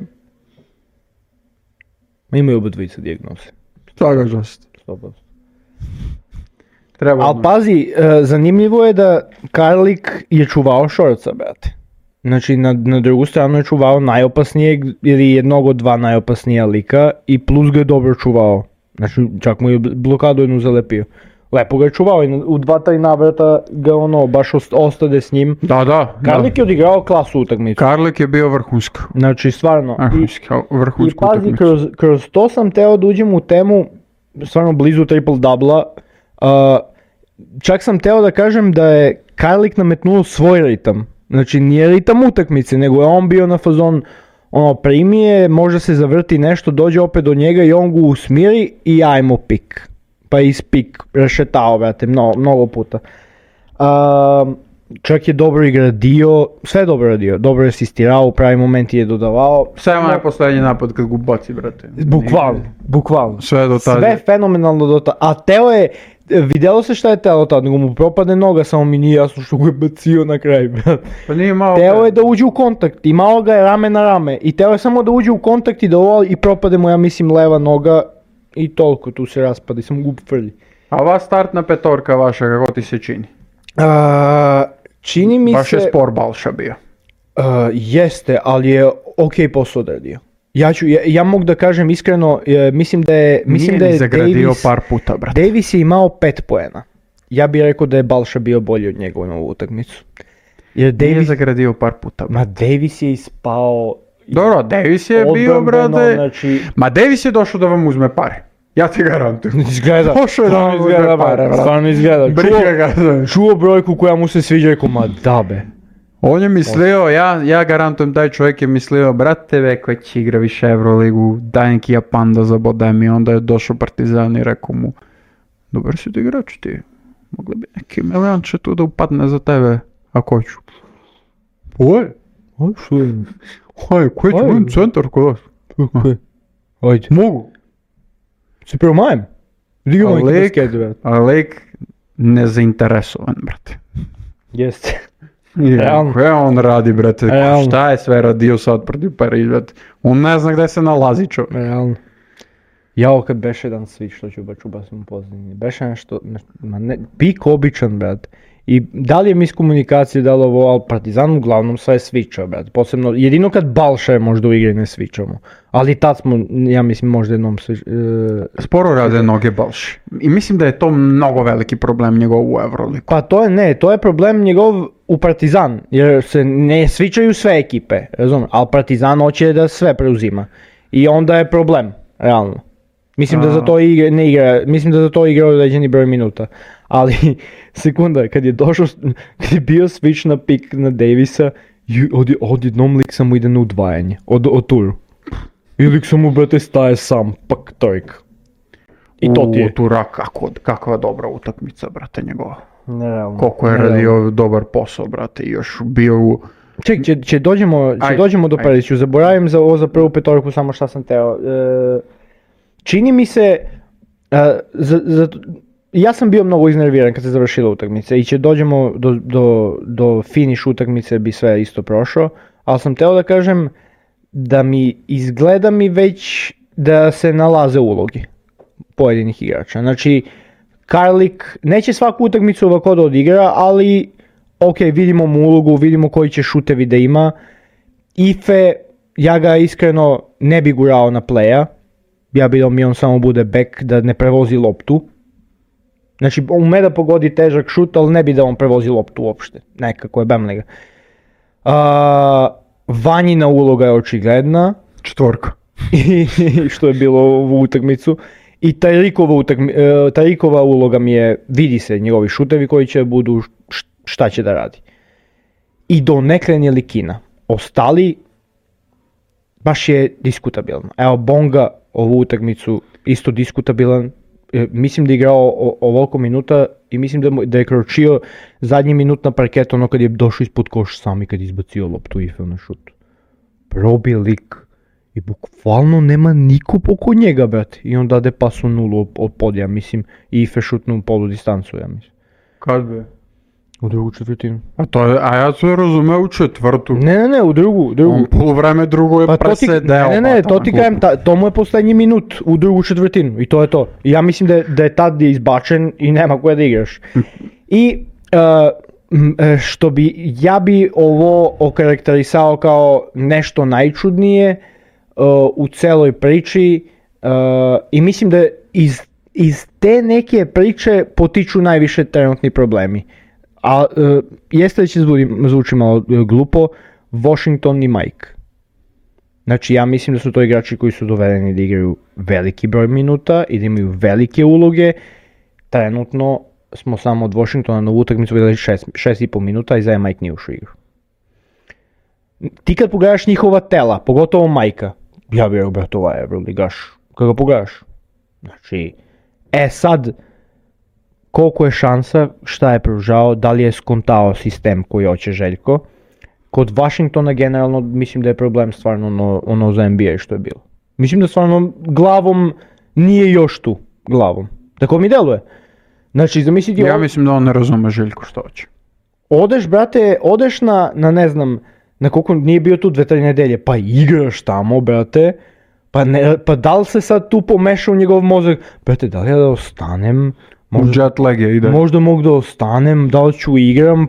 Imaju oba dvojica dijagnoze. Svaka čast. 100%. Treba. Ali pazi, zanimljivo je da Karlik je čuvao Šorca, brate. Znači na drugu stranu je čuvao najopasnijeg ili jednog od 2 najopasnija lika i plus ga je dobro čuvao. Znači čak mu je blokadu jednu zalepio. Lepo ga je čuvao i u 2-3 navrata ga ono baš ostade s njim. Da. Karlik je odigrao klasu utakmicu. Karlik je bio vrhunski. Znači stvarno. I pazi, kroz to sam teo da uđem u temu stvarno blizu triple-dubla. Čak sam teo da kažem da je Karlik nametnuo svoj ritam. Znači nije ritam utakmice, nego je on bio na fazon, ono primije, možda se zavrti nešto, dođe opet do njega i on ga usmiri i ajmo pik. Pa iz pik rešetao, brate, mnogo puta. Čak je dobro igradio, sve dobro radio, dobro je asistirao, u pravi momenti je dodavao. Samo je posljednji napad kad ga baci, brate. Bukvalno. Sve do tada. Sve fenomenalno do tada. A Teo je, vidjelo se šta je Teo tada, nego mu propade noga, samo mi nije jasno što ga je bacio na kraj, brate. Pa nije malo... Teo je da uđe u kontakt i malo ga je rame na rame. I Teo je samo da uđe u kontakt i da i propade mu, ja mislim, leva noga. I toliko, tu se raspada i samo gub frlji. A ova startna petorka vaša, kako ti se čini? Čini mi baš se... Baš je spor Balša bio. Jeste, ali je ok posao odradio. Ja mogu da kažem iskreno, mislim da je zagradio Davis, par puta, brate. Davis je imao 5 poena. Ja bih rekao da je Balša bio bolji od njega u novu utakmicu. Jer Davis... Nije zagradio par puta, brate. Ma Davis je ispao... Dobro, Davis je bio, brate, znači... Ma Davis je došao da vam uzme pare. Ja ti garantujem. Izgleda. Došao je da vam uzme pare, brate. Stvarno izgleda. Čuo brojku koja mu se sviđa, rekao, ma dabe. On je mislio, ja garantujem, taj čovjek je mislio, brate, već će igra više Euroligu, daj neki Japan da zabodem i onda je došao Partizan i rekao mu, dobar si ti igrač ti, mogli bi neki milijanče tu da upadne za tebe, ako hoću. Oj, što je? Oj, koji ću budem centar kod vas? Ajde. Mogu. Si prvo majem? Digamo neki basket, brate. A lik nezainteresovan, brate. Jeste. Koje on radi, brate? Šta je sve radio sad protiv Pariz, brate? On ne zna gdje se nalazi, čovjek. Realno. Jao, kad beše jedan switch, što ću ubacim u pozadini. Beše nešto, pik običan, brate. I da li je miskomunikacija, da li ovo, ali Partizan uglavnom sve switcha, brate. Posebno, jedino kad Balša je možda u igri ne switchamo. Ali tad smo, ja mislim, možda jednom sporo rade noge Balši. I mislim da je to mnogo veliki problem njegov u Euroligu. Pa to je problem njegov u Partizan, jer se ne switchaju sve ekipe, razumiješ, ali Partizan hoće da sve preuzima. I onda je problem, realno. Mislim da za to ne igra, mislim da za to igra određeni broj minuta. Ali, sekunda, kad je bio switch na pik na Davisa, odjednom lik samo ide na udvajanje, od turu. I lik samo, brate, staje sam, pak trojk. I to ti je. Tura, kakva dobra utakmica, brate, njegova. Nerealno. Koliko je radio dobar posao, brate, i još bio u... Ček, dođemo do Pariza, ću zaboravim za prvu petorku, samo šta sam teo. Čini mi se, ja sam bio mnogo iznerviran kad se završila utakmica i dođemo do finish utakmice bi sve isto prošlo, ali sam teo da kažem da izgleda mi već da se nalaze ulogi pojedinih igrača. Znači, Karlik neće svaku utakmicu ovako da odigra, ali ok, vidimo mu ulogu, vidimo koji će šutevi da ima. Ife, ja ga iskreno ne bi gurao na playa. Ja bi da mi on samo bude back, da ne prevozi loptu. Znači, ume da pogodi težak šut, ali ne bi da on prevozi loptu uopšte. Nekako je bemlega. Vanjina uloga je očigledna. 4. I što je bilo ovu utakmicu. I Tarikova uloga mi je, vidi se njegovi šutevi koji će budu, šta će da radi. I donekle Ntilikina. Ostali, baš je diskutabilno. Evo Bonga ovu utakmicu isto diskutabilan. Mislim da je igrao ovoliko minuta i mislim da je kročio zadnji minut na parket, ono kad je došao ispod koš sam i kad je izbacio loptu i na šut. Probi lik i bukvalno nema niko oko njega, brate. I on dade pas u nulu od podija, mislim, i Ife šutnu polu distancu, ja mislim. Kad be? U drugu četvrtinu. A ja sam razumeo u četvrtu. Ne, u drugu. On polovreme drugo je presedeo. Ne, to ti kažem, to mu je poslednji minut u drugu četvrtinu i to je to. I ja mislim da je tad izbačen i nema koje da igraš. I ja bi ovo okarakterisao kao nešto najčudnije u celoj priči i mislim da iz te neke priče potiču najviše trenutni problemi. A jeste da će zvuči malo glupo, Washington i Mike. Znači ja mislim da su to igrači koji su dovedeni da igraju veliki broj minuta i da imaju velike uloge. Trenutno smo samo od Washingtona na utakmicu vidjeli 6,5 minuta i za Mike nije ušao igru. Ti kad pogledaš njihova tela, pogotovo Majka, ja bih rekao, brate, ovaj Euroligaš, kad ga pogledaš. Znači, sad, koliko je šansa, šta je pružao, da li je skontao sistem koji hoće Željko. Kod Washingtona generalno mislim da je problem stvarno ono za NBA što je bilo. Mislim da stvarno glavom nije još tu, glavom. Tako mi deluje. Znači, zamisliti... Ja mislim da on ne razume Željko što hoće. Odeš na ne znam, na koliko nije bio tu 2-3 nedelje, pa igraš tamo, brate, pa da li se sad tu pomeša u njegov mozak, brate, da li ja da ostanem, možda mogu da ostanem, da li ću igram,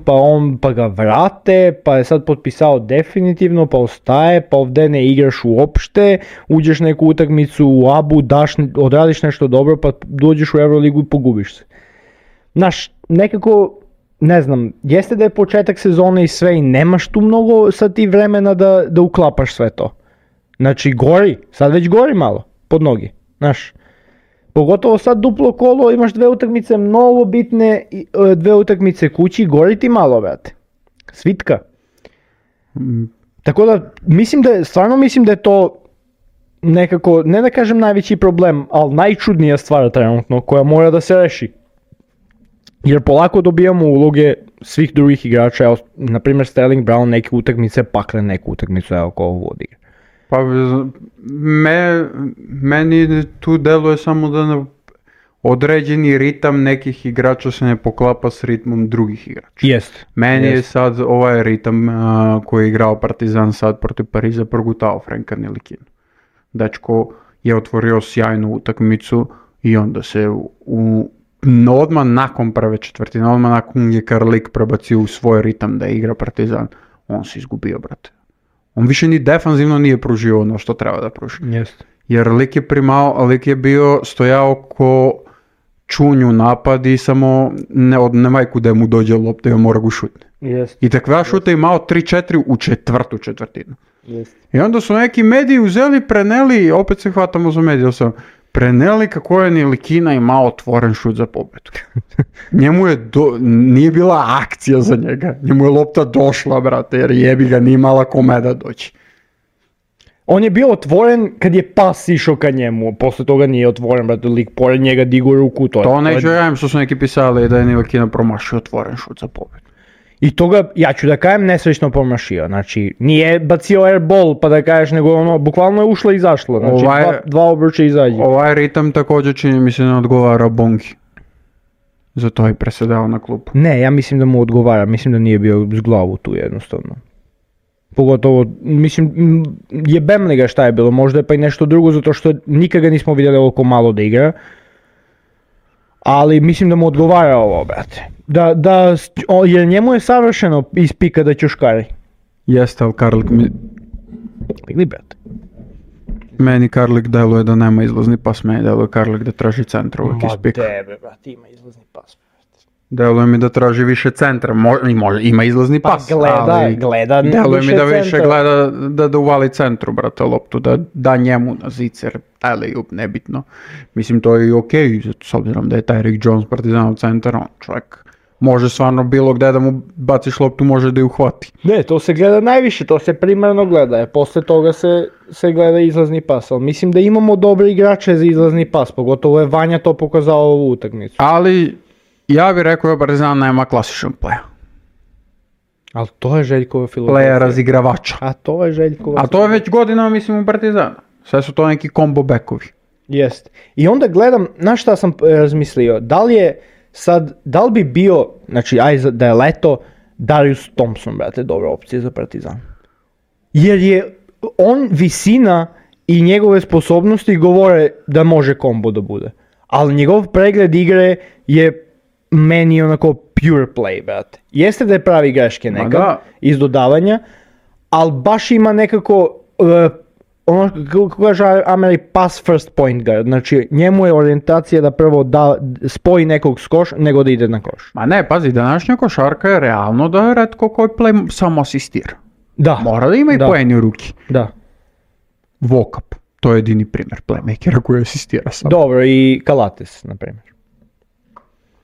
pa ga vrate, pa je sad potpisao definitivno, pa ostaje, pa ovdje ne igraš uopšte, uđeš neku utakmicu u Abu, odradiš nešto dobro, pa dođeš u Euroligu i pogubiš se. Znaš, nekako... Ne znam, jeste da je početak sezone i sve i nemaš tu mnogo sad ti vremena da uklapaš sve to. Znači sad već gori malo, pod nogi, znaš. Pogotovo sad duplo kolo, imaš 2 utakmice mnogo bitne, 2 utakmice kući, gori ti malo, brate. Svitka. Tako da, stvarno mislim da je to nekako, ne da kažem najveći problem, ali najčudnija stvar trenutno koja mora da se reši. Jer polako dobijamo uloge svih drugih igrača, evo, na primjer Sterling Brown neke utakmice, pakle neku utakmicu, evo ko ovo odigra. Pa meni tu deluje samo da određeni ritam nekih igrača se ne poklapa s ritmom drugih igrača. Meni je sad ovaj ritam koji je igrao Partizan sad protiv Pariza progutao Franka Ntilikinu. Dečko je otvorio sjajnu utakmicu i onda se odmah nakon prve četvrtine, odmah nakon je Karlik prebacio u svoj ritam da igra Partizan, on se izgubio, brate. On više ni defanzivno nije pružio ono što treba da pruži. Jer lik je bio stojao ko čunju napad i samo nemaj kuda mu dođe lopta i on mora ga šutne. I takva šuta imao 3-4 u četvrtu četvrtinu. I onda su neki mediji uzeli, preneli, opet se hvatamo za medije, preneli kako je Ntilikina imao otvoren šut za pobjedu. Njemu je nije bila akcija za njega, njemu je lopta došla, brate, jer jebi ga, nije imala kome da doći. On je bio otvoren kad je pas išao ka njemu, posle toga nije otvoren, brate, lik pored njega digu ruku. To neću radim što su neki pisali da je Ntilikina promašio otvoren šut za pobjedu. I toga, ja ću da kajem, nesrećno promašio, znači nije bacio airball pa da kažeš, nego ono, bukvalno je ušlo i izašlo, znači dva obruča izađe. Ovaj ritam također čini mi se ne odgovara Bongi, zato je presedao na klupu. Ne, ja mislim da mu odgovara, mislim da nije bio s glavu tu jednostavno. Pogotovo, mislim, jebem li ga šta je bilo, možda je pa i nešto drugo, zato što nikad ga nismo vidjeli ovoliko malo da igra. Ali mislim da mu odgovara ovo, brate. Jer njemu je savršeno iz pika da ćuškari. Jeste, ali Karlik mi... Ili, brate. Meni Karlik deluje da nema izlazni pas, meni deluje Karlik da traži centra uvijek iz pika. Ma debe, brate, ima izlazni pas. Deluje mi da traži više centra, ima izlazni pas, gleda deluje mi da više centra. gleda da uvali centru, brate, loptu, da njemu na zicer, alley-oop, nebitno. Mislim, to je i okej, s obzirom da je Tyreek Jones Partizanov centar, on čovjek može stvarno bilo gdje da mu baciš loptu, može da ju uhvati. Ne, to se gleda najviše, to se primarno gleda, jer posle toga se gleda izlazni pas, ali mislim da imamo dobre igrače za izlazni pas, pogotovo je Vanja to pokazao ovu utakmicu. Ali ja bih rekao da Partizan nema klasičan play. Ali to je Željkova filozofija. Playa razigravača. A to je Željkova. A to je već godinama, mislim, u Partizanu. Sve su to neki combo backovi. Jest. I onda gledam, na šta sam razmislio, da li bi bio, znači da je leto, Darius Thompson, brate, dobra opcija za Partizan. Jer je on visina i njegove sposobnosti govore da može kombo da bude. Ali njegov pregled igre je meni onako pure play, brate. Jeste da je pravi greške nekad iz dodavanja, ali baš ima nekako, ono kako kaže Ameri, pass first point guard. Znači njemu je orijentacija da prvo spoji nekog s koš nego da ide na koš. Ma ne, pazi, današnja košarka je realno da je retko koji play samo asistira. Da. Mora da ima i poeni u ruki. Da. Vokap, to je jedini primjer playmakera koji asistira sam. Dobro, i Kalates, na primjer.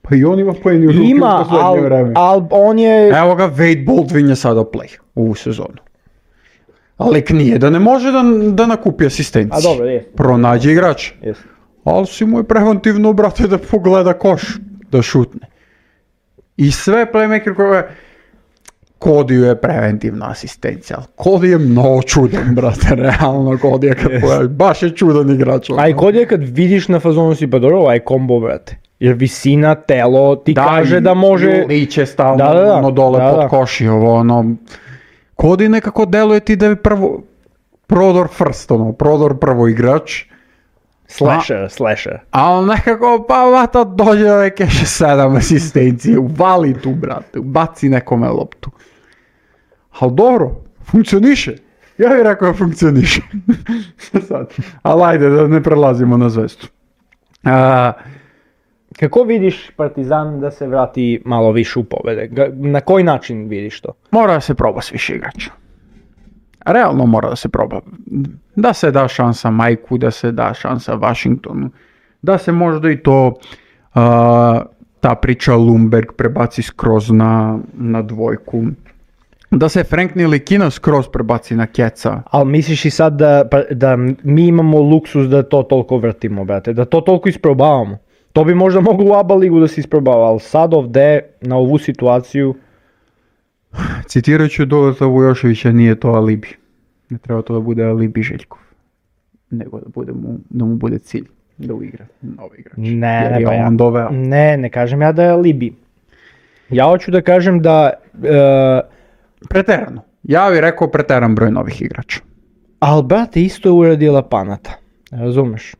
Pa i on ima poeni u ruki u poslednje vreme. Ali on je... Evo ga, Wade Baldwin je sada play ovu sezonu. Ali nije da ne može da nakupi asistenciju. A dobro, je. Pronađe igrač. Yes. Ali si mu je preventivno, brate, da pogleda koš, da šutne. I sve playmaker koje... Kodiju je preventivna asistencija, ali Cody je mnogo čudan, brate, realno Cody je kad pogledaš, baš je čudan igrač. A i Cody je kad vidiš na fazonu si pa dobro, ovaj kombo, brate. Jer visina, telo ti kaže da može... Liče stalno dole pod koši, Cody nekako deluje ti da je prodor first, prodor prvo igrač. Slasher. Ali nekako, pa vata dođe da neke 7 asistencije, uvali tu, brate, baci nekome loptu. Ali dobro, funkcioniše. Ja bih rekao da funkcioniše. Sad, ali ajde da ne prelazimo na zvezdu. Kako vidiš Partizan da se vrati malo više u pobjede? Na koji način vidiš to? Mora da se proba s više igrača. Realno mora da se proba. Da se da šansa Majku, da se da šansa Washingtonu, da se možda i to ta priča Lundberg prebaci skroz na dvojku. Da se Frank Ntilikina skroz prebaci na Keca. Ali misliš i sad da mi imamo luksus da to toliko vrtimo, brate? Da to toliko isprobavamo? To bi možda moglo u ABA ligu da se isprobava, ali sad ovdje na ovu situaciju... Citirat ću Doleta Vujoševića, nije to alibi. Ne treba to da bude alibi Željkov. Nego da mu bude cilj da uigra novi igrač. Ne kažem ja da je alibi. Ja hoću da kažem da... Preterano. Ja bih rekao preteran broj novih igrača. Ali brate, isto je uradila Panata. Razumeš?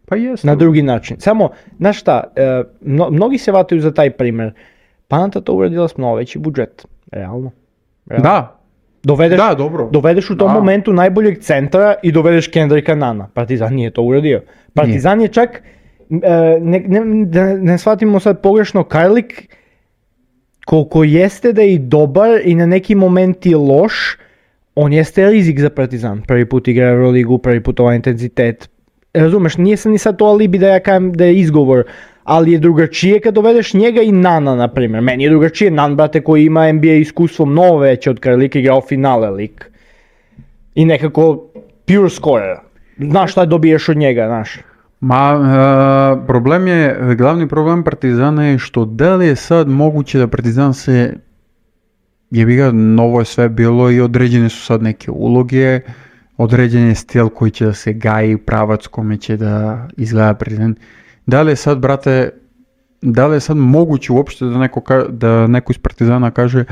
Pa jest. Na drugi način. Samo, znaš šta, mnogi se vataju za taj primjer. Panata to uradila s mnogo veći budžet. Realno. Da. Dovedeš u tom momentu najboljeg centra i dovedeš Kendricka Nana. Partizan nije to uradio. Partizan je čak, ne shvatimo sad pogrešno, Karlik, koliko jeste da je i dobar i na neki moment je loš, on jeste rizik za Partizan. Prvi put igra Euroligu, prvi put ovaj intenzitet. Razumeš, nije sam ni sad to alibi da ja kažem da je izgovor, ali je drugačije kad dovedeš njega i Nana, na primjer. Meni je drugačije Nan, brate, koji ima NBA iskustvo mnogo veće od Karlika, igrao finale lik. I nekako pure scorer. Znaš šta dobiješ od njega, znaš. Glavni problem Partizana je što da li je sad moguće da Partizan se, novo je sve bilo i određene su sad neke uloge, određen je stil koji će da se gaji, pravac kome će da izgleda Partizan. Da li je sad moguće uopšte da neko iz Partizana kaže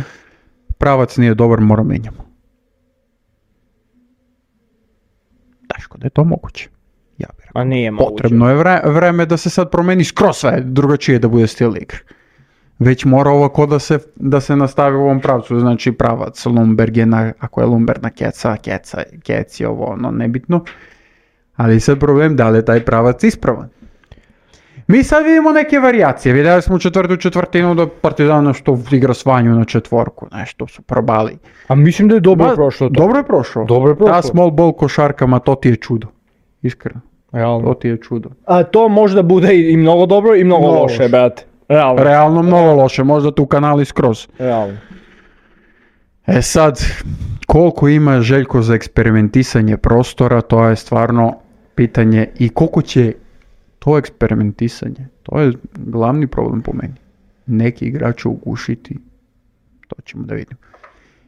pravac nije dobar, mora menjamo? Teško da je to moguće. Ja bih rekao. A nije moguće. Potrebno je vreme da se sad promeni skroz sve drugačije da bude stil igre. Već mora ovako da se nastavi u ovom pravcu, znači pravac Lundberg je ako je Lundberg na Keca, Kec je ovo, nebitno. Ali sad problem da li je taj pravac ispravan. Mi sad vidimo neke varijacije. Vidjeli smo u četvrtu četvrtinu da Partizan što igra svanju na četvorku. Nešto su probali. A mislim da je dobro prošlo to. Dobro je prošlo. Ta small ball košarkama, to ti je čudo. Iskreno. Realno. To ti je čudo. A to možda bude i mnogo dobro i mnogo loše, brate. Realno mnogo loše. Možda tu kanali skroz. Realno. E sad, koliko ima Željko za eksperimentisanje prostora, to je stvarno pitanje i koliko će to eksperimentisanje, to je glavni problem po meni. Neki igrači ugušiti, to ćemo da vidimo.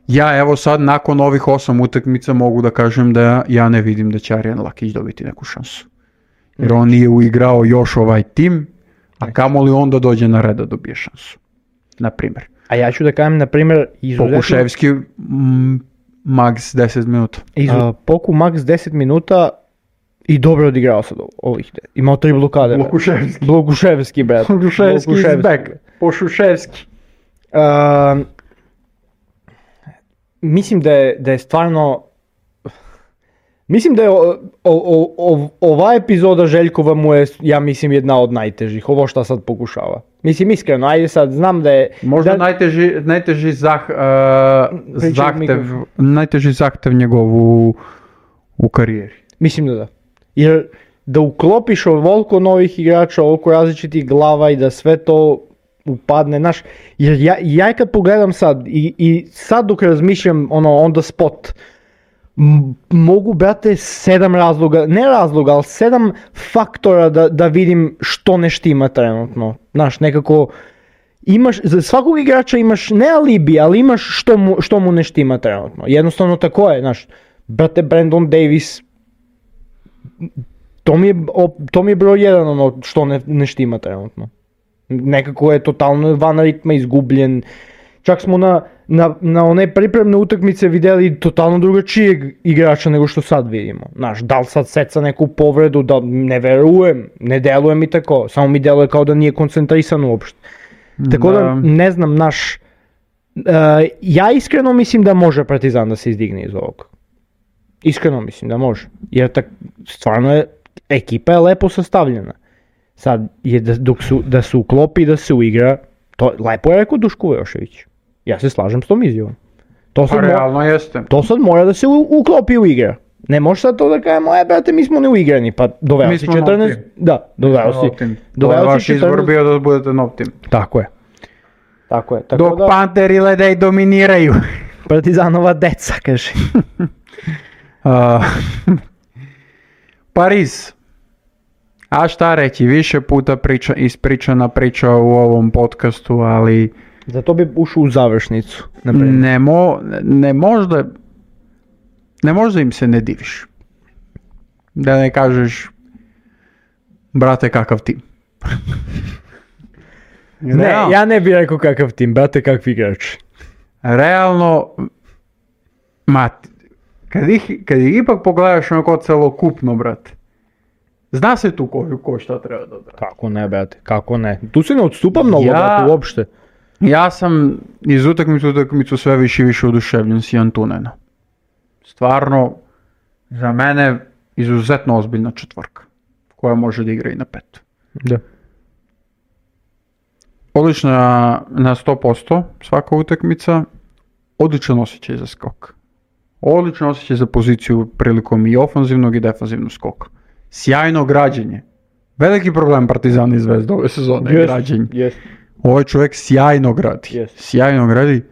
Ja evo sad nakon ovih 8 utakmica mogu da kažem da ja ne vidim da će Arijan Lakić dobiti neku šansu. Jer on nije uigrao još ovaj tim, a kamoli onda dođe na red da dobije šansu. Naprimjer. A ja ću da kažem, naprimjer, izuzetno... Pokuševski max 10 minuta. Poku max 10 minuta i dobro odigrao sad ovih. Imao 3 blokade. Blokuševski, brat. Blokuševski is back. Pošuševski. Mislim da je stvarno... Mislim da je ova epizoda Željkova mu je, ja mislim, jedna od najtežih. Ovo što sad pokušava. Mislim, iskreno, ajde sad, znam da je... Možda najteži zahtev njegovu u karijeri. Mislim da. Jer da uklopiš ovoliko novih igrača, ovoliko različitih glava i da sve to upadne, znaš, jer ja kad pogledam sad i sad dok razmišljam on the spot, mogu, brate, 7 razloga, ne razloga, ali 7 faktora da vidim što ne štima trenutno. Znaš, nekako imaš, za svakog igrača imaš ne alibi, ali imaš što mu ne štima trenutno. Jednostavno tako je, znaš, brate, Brandon Davis, to mi je broj 1 ono što ne štima trenutno. Nekako je totalno van ritma, izgubljen. Čak smo na one pripremne utakmice vidjeli totalno drugačijeg igrača nego što sad vidimo. Znaš, da li sad seca neku povredu, da ne verujem, ne deluje mi tako, samo mi deluje kao da nije koncentrisan uopšte. Tako da ne znam, ja iskreno mislim da može Partizan da se izdigne iz ovog. Iskreno mislim da može, jer stvarno je, ekipa je lepo sastavljena. Sad je da se uklopi, da se uigra, to lepo je rekao Duško Vujošević. Ja se slažem s tom izjavom. Realno jeste. To sad mora da se uklopi u igra. Ne može sad to da kažemo, brate, mi smo neuigrani, pa doveo si 14... Da, doveo si 14... Vaš izbor bio da budete nov tim. Tako je. Tako dok da... Panteri Ledej dominiraju. Partizanova deca, kaže. Pariz. A šta reći, više puta ispričana priča u ovom podcastu, ali... Zato bi ušao u završnicu. Ne možda im se ne diviš. Da ne kažeš, brate, kakav tim. Ne, ja ne bih rekao kakav tim, brate, kakvi igrači. Realno, kad ih ipak pogledaš onako celokupno, brate, zna se tu ko šta treba da odradi. Kako ne, brate, kako ne. Tu se ne odstupa mnogo, brate, uopšte. Ja sam iz utakmicu sve više i više oduševljen s Jantunena. Stvarno, za mene izuzetno ozbiljna četvorka, koja može da igra i na 5. Da. Odlična na 100% svaka utakmica, odličan osjećaj za skok. Odličan osjećaj za poziciju prilikom i ofanzivnog i defanzivnog skoka. Sjajno građenje. Veliki problem Partizana i Zvezda ove sezone je građenje. Yes. Ovaj čovjek sjajno gradi. Yes. Sjajno gradi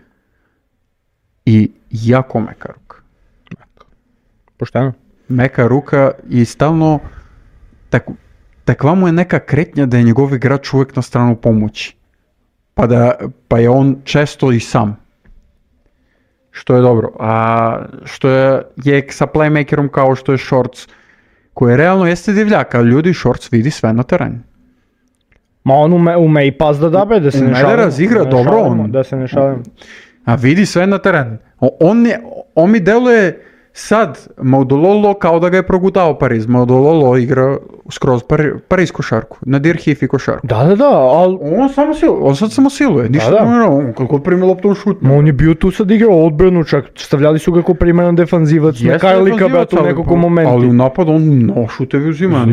i jako meka ruka. Pošteno. Meka ruka i stalno takva mu je neka kretnja da je njegov igrač uvijek na stranu pomoći. Pa je on često i sam. Što je dobro. A što je sa playmakerom kao što je Shorts, koji realno jeste divljak, ali ljudi Shorts vidi sve na terenu. Ma on ume i pas da dabe, da se ne šalimo. Da razigra dobro on. Da se ne šalimo. A vidi sve na terenu. On mi deluje Sad, Maudololo kao da ga je progutao Pariz. Maudololo igra skroz Pariz košarku, nadir Hifi košarku. Da, ali... On sad samo siluje, ništa ne on kako primi loptu on šutne. On je bio tu sad igrao odbranu, čak stavljali su ga kao primaran defanzivac, na Karlika bratu u nekako momentu. Ali u napadu on šutevi uzima,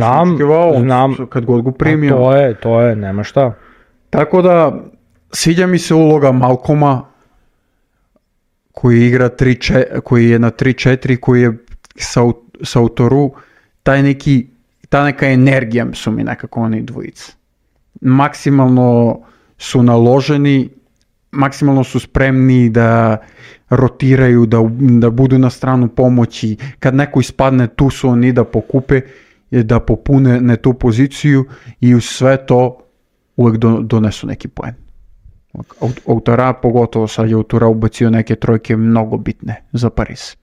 znam, kad god go primio. To je, nema šta. Tako da, sviđa mi se uloga Malcoma, koji igra koji je na 3-4, koji je sa autoru, ta neka energija su mi nekako oni dvojica. Maksimalno su naloženi, maksimalno su spremni da rotiraju, da budu na stranu pomoći. Kad neko ispadne, tu su oni da pokupe, da popune tu poziciju i uz sve to uvek donesu neki poen. Autora, pogotovo sad je autora ubacio neke trojke mnogo bitne za Pariz.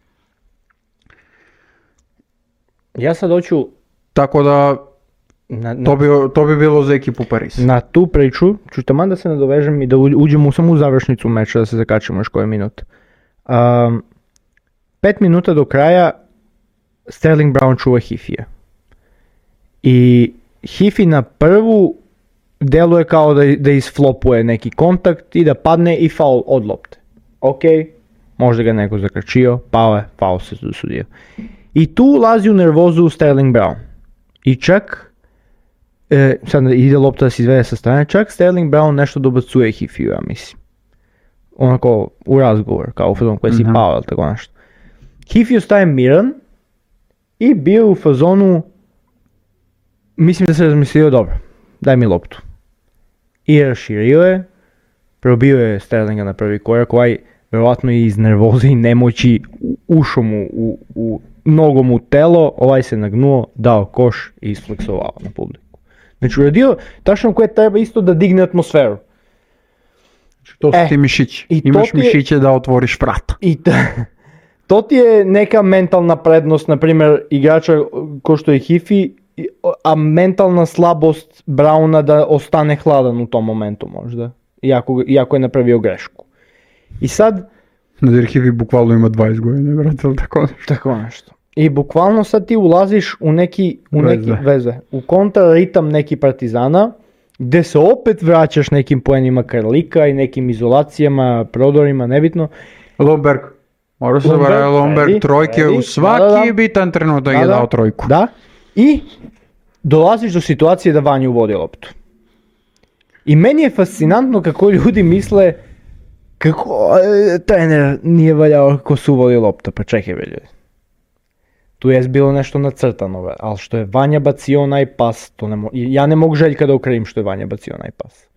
Ja sad hoću... Tako da, to bi bilo za ekipu Pariz. Na tu priču ću taman da se nadovežem i da uđemo samo u završnicu meča, da se zakačemo još koje minut. 5 minuta do kraja Sterling Brown čuva Hifija. I Hifi na prvu deluje kao da isflopuje neki kontakt i da padne i faul od lopte. Ok, možda ga neko zakračio, pao je, faul se dosudio. I tu ulazi u nervozu Sterling Brown. I čak, sad ide lopta da se izvede sa strane, čak Sterling Brown nešto dobacuje Hifiju, ja mislim. Onako u razgovor, kao u fazonu koji si pao, ali tako nešto. Hifi ostaje miran i bio u fazonu, mislim da se razmislio, dobro, daj mi loptu. I raširio je, probio je Sterlinga na prvi korak, verovatno i iz nervoze i nemoći ušao mu u nogom u telo, ovaj se nagnuo, dao koš i isfleksovao na publiku. Znači uradio tačno koje treba isto da digne atmosferu. To su ti mišići. Imaš mišiće da otvoriš vrata. To ti je neka mentalna prednost, na primjer igrača ko što je Hifi, a mentalna slabost Browna da ostane hladan u tom momentu možda, iako je napravio grešku. I sad... Nadir Hifi bukvalno ima 20 godina, brate, ali tako nešto. Tako nešto. I bukvalno sad ti ulaziš u neki veze, u kontraritam neki Partizana, gde se opet vraćaš nekim poenima Karlika i nekim izolacijama, prodorima, nebitno. Lomberg. Mora se zaboraviti Lomberg, trojke u svaki bitan trenutak je dao trojku. Da, i dolaziš do situacije da Vanju vodi loptu. I meni je fascinantno kako ljudi misle kako trener nije valjao kako su vodi lopta, pa čekaj ljudi. Tu je bilo nešto nacrtano, ali što je Vanja bacio onaj pas, ja ne mogu Željka da okrivim što je Vanja bacio onaj pas.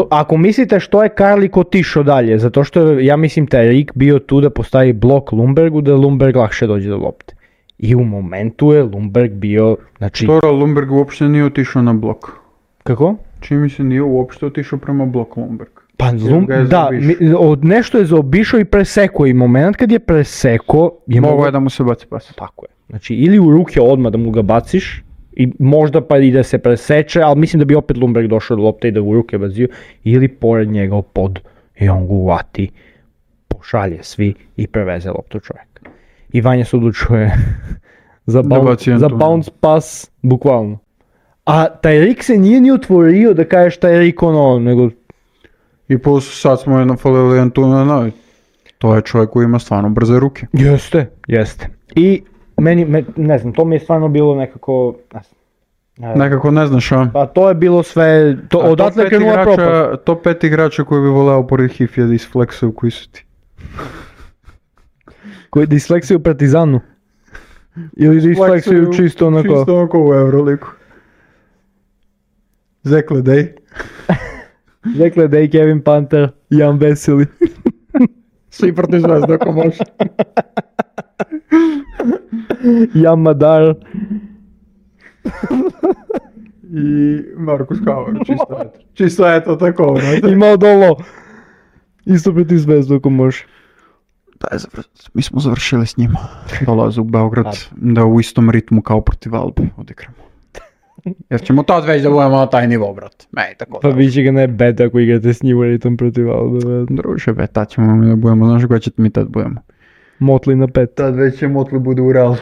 Ako mislite što je Karlik otišao dalje, zato što je, ja mislim, taj Rik bio tu da postavi blok Lundbergu, da Lundberg lakše dođe do lopte. I u momentu je Lundberg bio, znači... Stora, Lundberg uopšte nije otišao na blok. Kako? Čini mi se nije uopšte otišao prema bloku Lundberg. Pa da, nešto je zaobišao i presekao i moment kad je presekao... Mogu je da mu se baci pas. Tako je. Znači ili u ruke odmah da mu ga baciš, i možda pa i da se preseče, ali mislim da bi opet Lundberg došao do lopte i da u ruke bazio, ili pored njega pod i on ga uvati, pošalje svi i preveze loptu čovjek. I Vanja se odlučuje za bounce pas, bukvalno. A taj Rik se nije ni otvorio da kažeš taj Rik nego... I plus sad smo je nafalili Antuna, to je čovjek koji ima stvarno brze ruke. Jeste. I meni, ne znam, to mi je stvarno bilo nekako... Nekako ne znaš, a? Pa to je bilo sve, odatle je krenula propast. Top 5 igrača koji bi voleo pored Hifija da isfleksuju, koji su ti? Koji da isfleksuju u Partizanu? Ili da isfleksuju čisto onako? Čisto onako u Euroliku. Zekledej. Zekledej, Kevin Panter, Jan Veseli. Svi protiv Zvezda ako može. Jan Madar. I Markus Hauer, čisto eto tako. Imao dolo. Isto protiv Zvezda ako može. Mi smo završili s njima. Dolaze u Beograd da u istom ritmu kao protiv Albe odigramo. Jer ćemo tad već da budemo na taj nivo, brat. Pa više ga ne beta ako igrate s njim ritam protiv Albe. Druže, tad ćemo mi da budemo, znaš koja će mi tad budemo. Motli na 5. Tad već će Motli bude u Realu.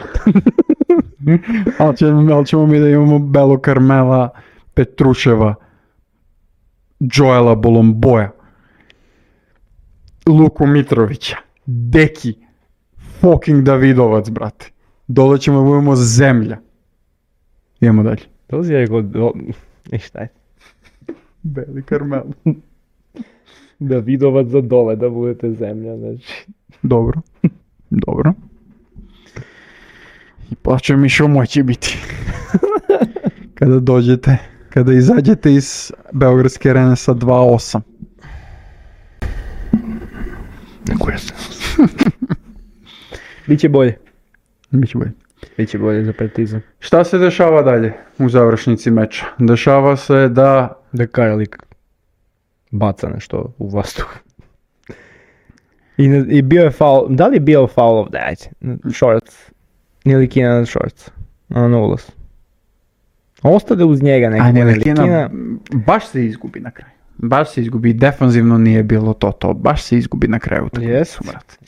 ali ćemo mi da imamo Belo Carmela, Petruševa, Joela Bolomboja, Luku Mitrovića, Deki, fucking Davidovac, brate. Dole ćemo da budemo zemlja. Idemo dalje. To si ja rekao, i šta je? Beli Carmel. Davidovac za dole, da budete zemlja, znači. Dobro. Dobro. I plaća mi šumoj će biti. Kada dođete, kada izađete iz Beogradske arene sa 2-8. Neko je se. Biće bolje. Biće bolje. Biće bolje za Partizan. Šta se dešava dalje u završnici meča? Dešava se da Karalik baca nešto u vazduh. I bio je faul, da li je bio faul ovdje, ajde, Shorts, ili Kina na Shorts, na ulaz. Ostade uz njega neko. A Nelikina baš se izgubi na kraju. Baš se izgubi, defanzivno nije bilo to, baš se izgubi na kraju.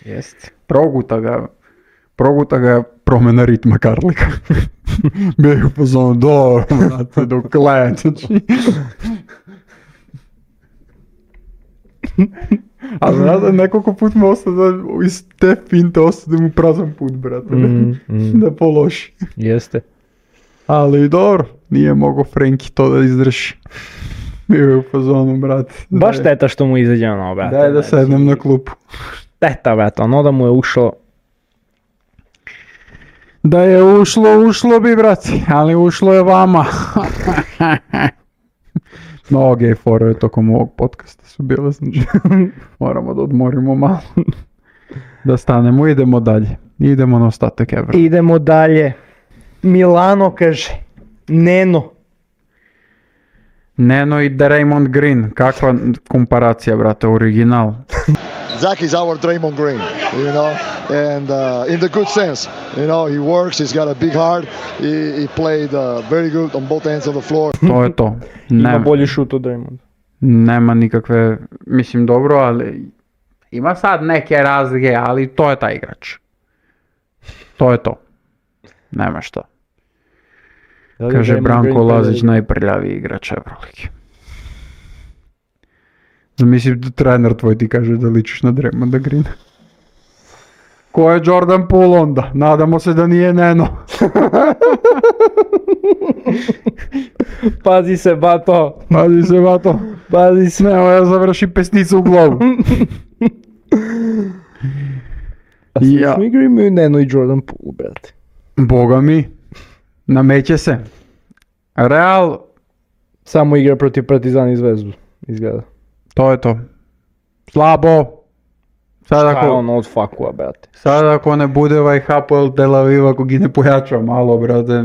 Jest. Proguta ga promjena ritma Karlika. Bio je u pozonu, dobro, znate, dok leje, znači. A znate, nekoliko put mu ostade, iz te finte ostade mu prazan put, brate, da pološi. Jeste. Ali dobro, nije mogao Frenki to da izdrži. Bio je u fazonu, brate. Baš šteta što mu izađe ono, brate. Daj da sednem na klupu. Šteta, brate, ono da mu je ušlo. Da je ušlo bi, brate, ali ušlo je vama. Mnoge fore tokom ovog podcasta su bile, znači moramo da odmorimo malo. Da stanemo, idemo dalje. Idemo na ostatak Evra. Idemo dalje. Milano kaže, Neno i Draymond Green, kakva komparacija, brate, original. Zach is our Draymond Green, you know, and in the good sense, you know, he works, he's got a big heart, he played very good on both ends of the floor. To je to. Ima bolji šut od Draymond. Nema nikakve, mislim dobro, ali ima sad neke razlike, ali to je taj igrač. To je to. Nema šta. Kaže Branko Lazić, najprljaviji igrač Euroligi. Mislim da trener tvoj ti kaže da ličiš na Draymonda Greena. Ko je Jordan Poole onda? Nadamo se da nije Neno. Pazi se, bato. Pazi se. Nemo ja završi pesnicu u glavu. A svi igri imaju Neno i Jordan Poole, brate. Boga mi. Nameće se. Real samo igra protiv Partizana i Zvezdu, izgleda. To je to. Slabo. Šta je ono od fakua, brate? Sad ako ne bude ovaj Hapoel Tel Aviv, ako gi ne pojača malo, brate.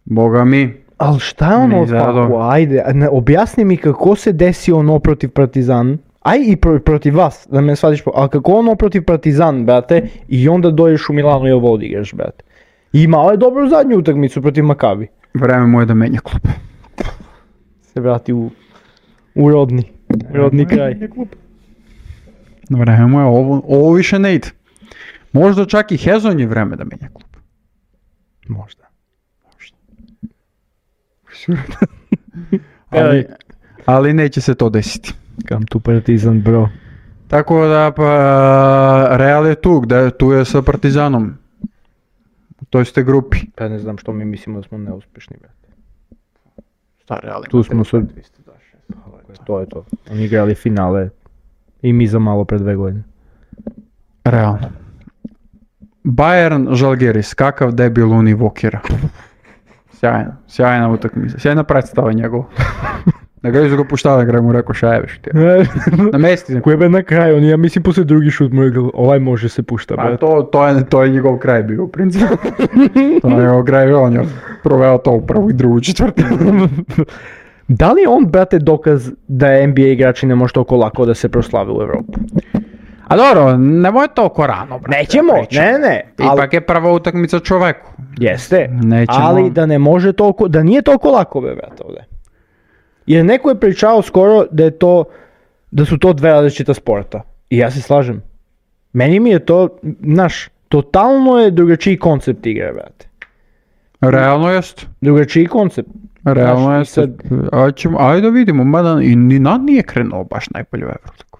Boga mi. Ali šta je ono od fakua? Ajde, objasni mi kako se desi ono protiv Partizan. Aj i protiv vas, da me shvatiš, ali kako ono protiv Partizan, brate, i onda dođeš u Milano i ovo odigraš, brate. I imao je dobru zadnju utakmicu protiv Makabi. Vreme mu je da menja klub. Se vrati u rodni kraj. Vreme mu je, ovo više ne ide. Možda čak i Hezon je vreme da menja klub. Možda. ali neće se to desiti. Come to Partizan, bro. Tako da, Real je tu je sa Partizanom. U toj ste grupi. Pa ne znam što mi mislimo da smo neuspješni, brate. Šta Real? Tu smo sad. To je to. Oni igrali finale i mi za malo pred 2 godine. Realno. Bayern Žalgiris, kakav debil Univokera. Sjajna utakmica, sjajna predstava njegov. Na kraju su ga puštali, na kraju mu rekao šajeveš ti. Na mesti. Koji je na kraju, ja mislim poslije drugi šut mu rekao, ovaj može se pušta. To je njegov kraj bio u principu. To je njegov kraj, on je proveo to u prvu i drugu četvrtinu. Da li je on, brate, dokaz da NBA igrači ne može toliko lako da se proslave u Evropu? A dobro, nemoj toliko rano, brate. Nećemo, ne. Ipak je prva utakmica čoveku. Jeste, nećemo. Ali da ne može toliko, da nije toliko lako, brate, ovdje. Jer neko je pričao skoro da su to 2 različita sporta. I ja se slažem. Meni mi je to, totalno je drugačiji koncept igre, brate. Realno jest. Drugačiji koncept. Realno jest. Ajde da vidimo, mada i Ninad nije krenuo baš najbolje u Euroligu.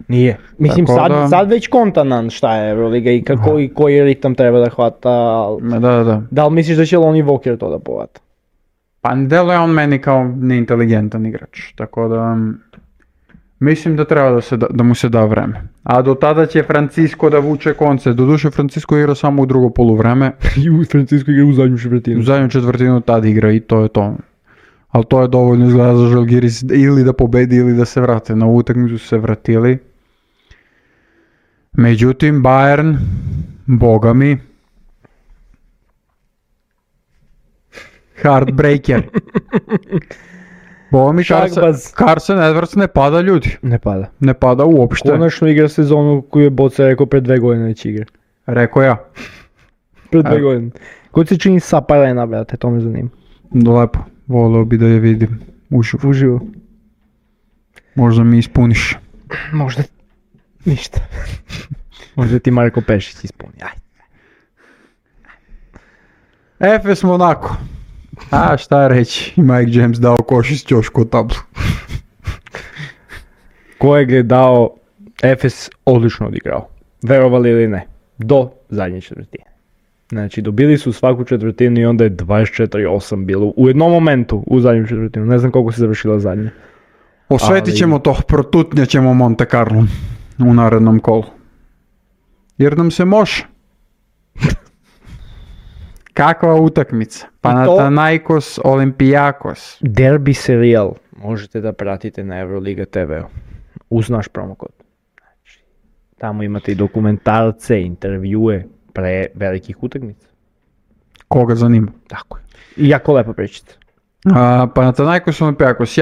Nije. Mislim, sad već konta nam šta je Euroliga i kako i koji ritam treba da hvata. Da li misliš da će Lonnie Walker to da povata? Pa ne deluje on meni kao neinteligentan igrač, tako da mislim da treba da mu se da vreme. A do tada će Francisco da vuče konce. Doduše Francisco igra samo u drugo poluvreme. I Francisco igra u zadnju četvrtinu. U zadnju četvrtinu tad igra i to je to. Ali to je dovoljno izgleda za Žalgiris ili da pobedi ili da se vrate. Na utakmicu su se vratili. Međutim, Bayern, boga mi, heartbreaker. Boga mi, Carson Edwards ne pada, ljudi. Ne pada uopšte. Konačno igra sezonu koju je Boca rekao pred 2 godine već igra. Rekao ja. Pred 2 godine. Ko se čini Saparena, brate, to me zanima. Lepo, voleo bi da je vidim uživo. Možda mi ispuniš. Možda ništa. Možda ti Marko Pešić ispuni. Efes Monako. A šta reći, Mike James dao koš iz ćošku u tablu. Kojeg je dao Efes odlično odigrao. Verovali ili ne. Do zadnje četvrtine. Znači dobili su svaku četvrtinu i onda je 24-8 bilo u jednom momentu u zadnju četvrtinu. Ne znam koliko se završila zadnja. Osvetit ćemo to, protutnjat ćemo Monte Carlo u narednom kolu. Jer nam se može. Kakva utakmica? Panathinaikos, Olympiakos. Derbi serijal možete da pratite na Euroliga TV-u. Uz naš promokod. Znači, tamo imate i dokumentarce, intervjue pre velikih utakmica. Koga zanima? Tako je. I jako lepo pričate. Panathinaikos, Olympiakos,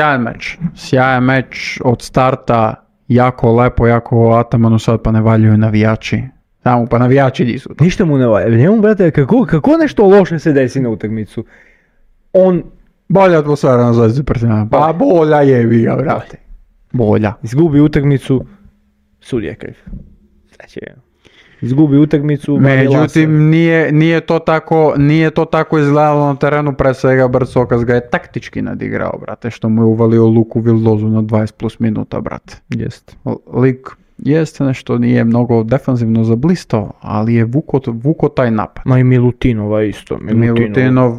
sjajan meč od starta, jako lepo, jako atamano, sad pa ne valjuju navijači. Tamo pa navijači nisu. Ništa mu ne valja. Njemu, brate, kako nešto loše se desi na utakmicu? Bolja atmosfera na Zvezdi Partizana. Pa bolja je ga, brate. Bolja. Izgubi utakmicu, sudija kriv. Znači, izgubi utakmicu. Međutim, nije to tako izgledalo na terenu, pre svega Brcokas ga je taktički nadigrao, brate, što mu je uvalio Luku Vildozu na 20 plus minuta, brate. Jest. Lik jeste nešto, nije mnogo defanzivno zablistao, ali je vuko taj napad. Ma i Milutinova isto. Milutinov,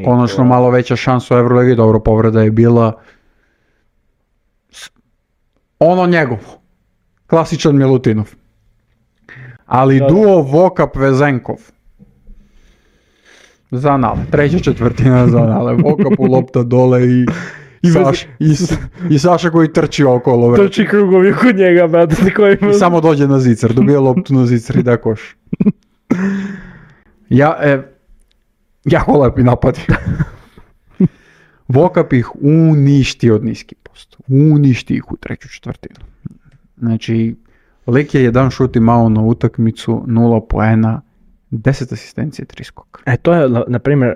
konačno malo veća šansa u Euroligi, dobro, povreda je bila ono njegovo. Klasičan Milutinov. Ali duo Vokap-Vezenkov. Zanale, treća četvrtina Zanale. Vokapu lopta dole i Saša koji trči okolo. Trči krugovi kod njega, brate. I samo dođe na zicar, dobije loptu na zicar i da koš. Jako lepi napadi. Vokap ih uništi od niski posto. Uništi ih u treću četvrtinu. Znači, lik je jedan šut imao na utakmicu, 0 poena, 10 asistencije, 3 skoka. To je, na primjer,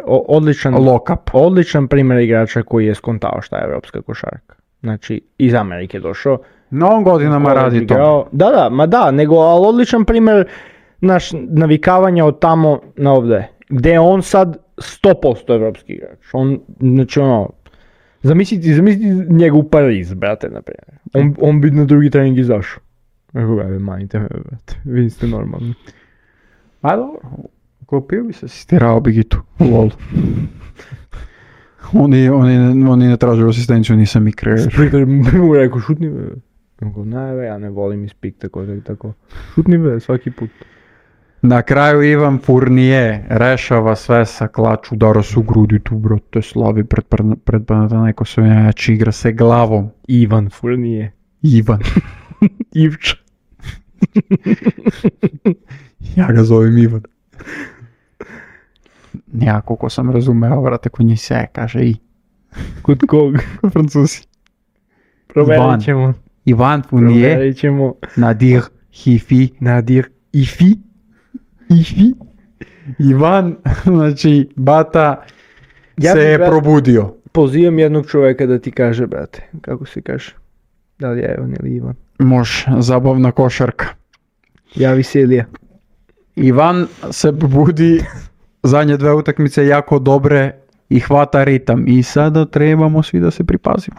odličan primjer igrača koji je skontao šta je evropska košarka. Znači, iz Amerike došao. No, on godinama radi to. Ali odličan primjer navikavanja od tamo na ovdje. Gde je on sad 100% evropski igrač. Zamislite njega u Pariz, brate, na primjer. On bi na drugi trening izašao. Manite me, brate, vi ste normalni. A dobro, kopio bi se, stirao bi gitu u lolu. Oni ne tražu asistenciju, nisam i kreer. Spikter bi mu rekao, šutni be. Ja ne volim ispik tako. Šutni be, svaki put. Na kraju Ivan Fournier rešava sve sa klač, udara se u grudi tu, brate, slavi pred Panathinaikosom, jači igra se glavom. Ivan Fournier. Ivča. Ja ga zovem Ivan. Ja, koliko sam razumeo, vrate, kod njih se kaže i. Kod kog? Francuzi. Proverit ćemo. Ivan Fournier. Nadir Ifi. Ivan, znači, bata se je probudio. Pozivam jednog čovjeka da ti kaže, brate, kako se kaže. Da li je Ivan ili Ivan? Može, zabavna košarka. Javi se Ilija. Ivan se budi, zadnje 2 utakmice jako dobre i hvata ritam. I sada trebamo svi da se pripazimo.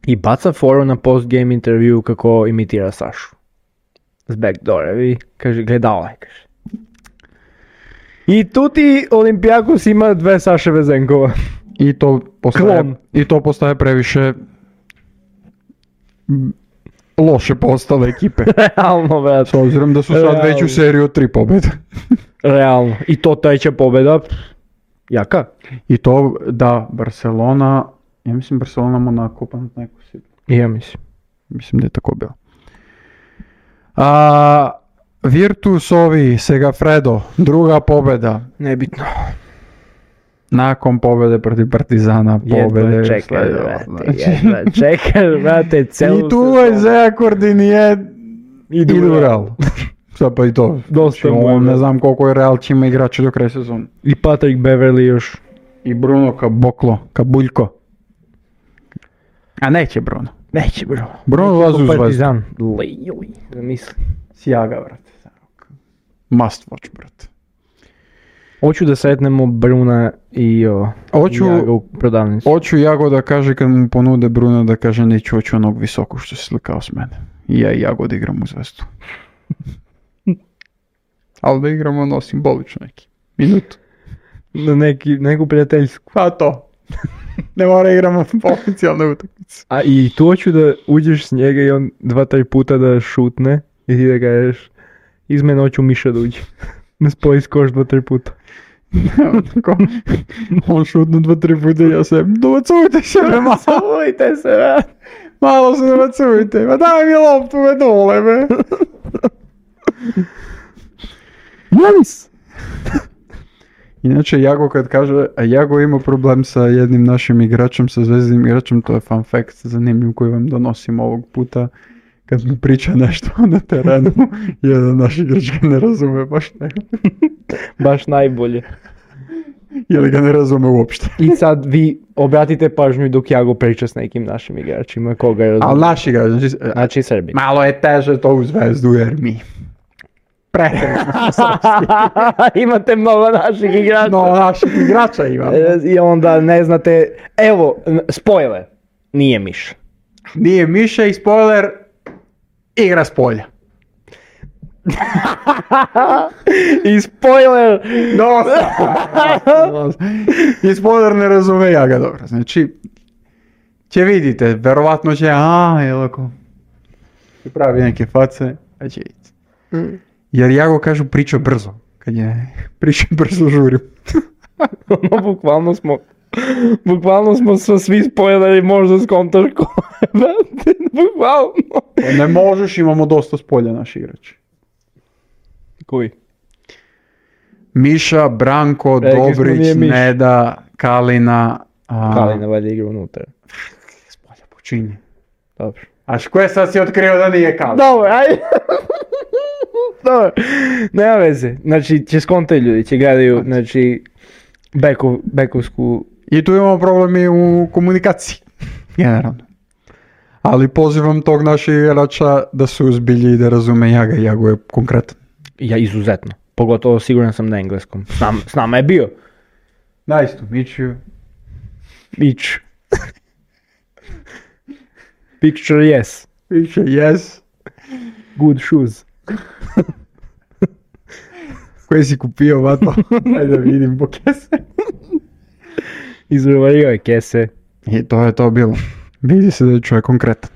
I baca foru na post-game intervju kako imitira Sašu. S backdoora, vi, kaže, gleda ovaj, kaže. I tu ti Olimpijakos ima 2 Saše Vezenkova. I to postaje previše loše postale ekipe. Realno, brate. S obzirom da su sad već u seriju 3 pobjede. Realno. I to 3. pobjeda. Jaka? I to da Barcelona, ja mislim Barcelona Monaco pa neko si. Ja mislim. Mislim da je tako bilo. Virtus ovi, Segafredo, 2. pobjeda. Nebitno. Nakon pobjede protiv Partizana, pobjede. Jedva čekaj, brate, celu I tu je Zeakordin je idu Real. Sad pa i to. Dosta ne znam koliko je Real će ima igrača do kraja sezona. I Patrick Beverly još. I Bruno Kabuljko. A neće Bruno. Bruno ulazi u Zvezdu. Partizan. Zamisli. Sjaga, brate. Must watch, brate. Hoću da sretnemo Bruna i Jago u prodavnicu. Hoću Jago da kaže kad mu ponude Bruna da kaže neću hoću onog visokog što se slikao s mene. I ja i Jago da igram u Zvezdu. Ali da igramo simbolično neki. Minutu. Na neku prijateljsku. Pa to. Ne mora igramo oficijalne utakmice. A i tu hoću da uđeš s njega i on 2-3 puta da šutne i ti da kažeš iz mene hoću Miša da uđe. Ne spoji skoš 2-3 puta. On šutnu 2-3 puta i ja se dobacujte se me malo. Dobacujte se me. Malo se dobacujte. Ma daj mi loptu me dole me. Janis. Inače, Jago kad kaže, a Jago ima problem sa jednim našim igračem, sa zvezdinim igračem, to je fun fact zanimljiv koji vam donosim ovog puta. Kad mu priča nešto na terenu, jedan naš igrač ga ne razume baš ne. Baš najbolje. Ili ga ne razume uopšte. I sad vi obratite pažnju dok Jago priča s nekim našim igračima, koga razume. Ali naši igrač, znači Srbi. Malo je teže to u Zvezdu jer mi pretjerano srpski. Imate mnogo naših igrača. No, naših igrača imamo. I onda ne znate, evo, spoiler, nije Miša. Nije Miša i spoiler, igra s polja. I spoiler! I spoiler ne razume ja ga dobro. Znači, će vidite, verovatno će, jelako, pravi neke face, a će ići. Jer ja go kažu priča brzo. Kad je priča brzo žurim. No, bukvalno smo svi spoileri, možda skontaš ko. Bukvalno. Ne možeš, imamo dosta spolja naši igrači. Koji? Miša, Branko, Dobrić, Neda, Kalina. Kalina valjda igra unutra. Spolja počinje. Dobro. A koje sad si otkrio da nije Kalina? Dobro, ajde. Dobro, nema veze. Znači, će skontaju ljudi, će gledaju, znači, bekovsku... I tu imamo problemi u komunikaciji. Generalno. Ali pozivam tog našeg igrača da se uzbilji i da razume Jaga. Jago je konkretan. Ja, izuzetno. Pogotovo siguran sam na engleskom. S nama je bio. Nice to meet you. Beach. Picture yes. Picture yes. Good shoes. Koje si kupio, vato? Ajde da vidim po kese. Izrovario je kese. I to je to bilo. Vidi se da je čovjek konkretan.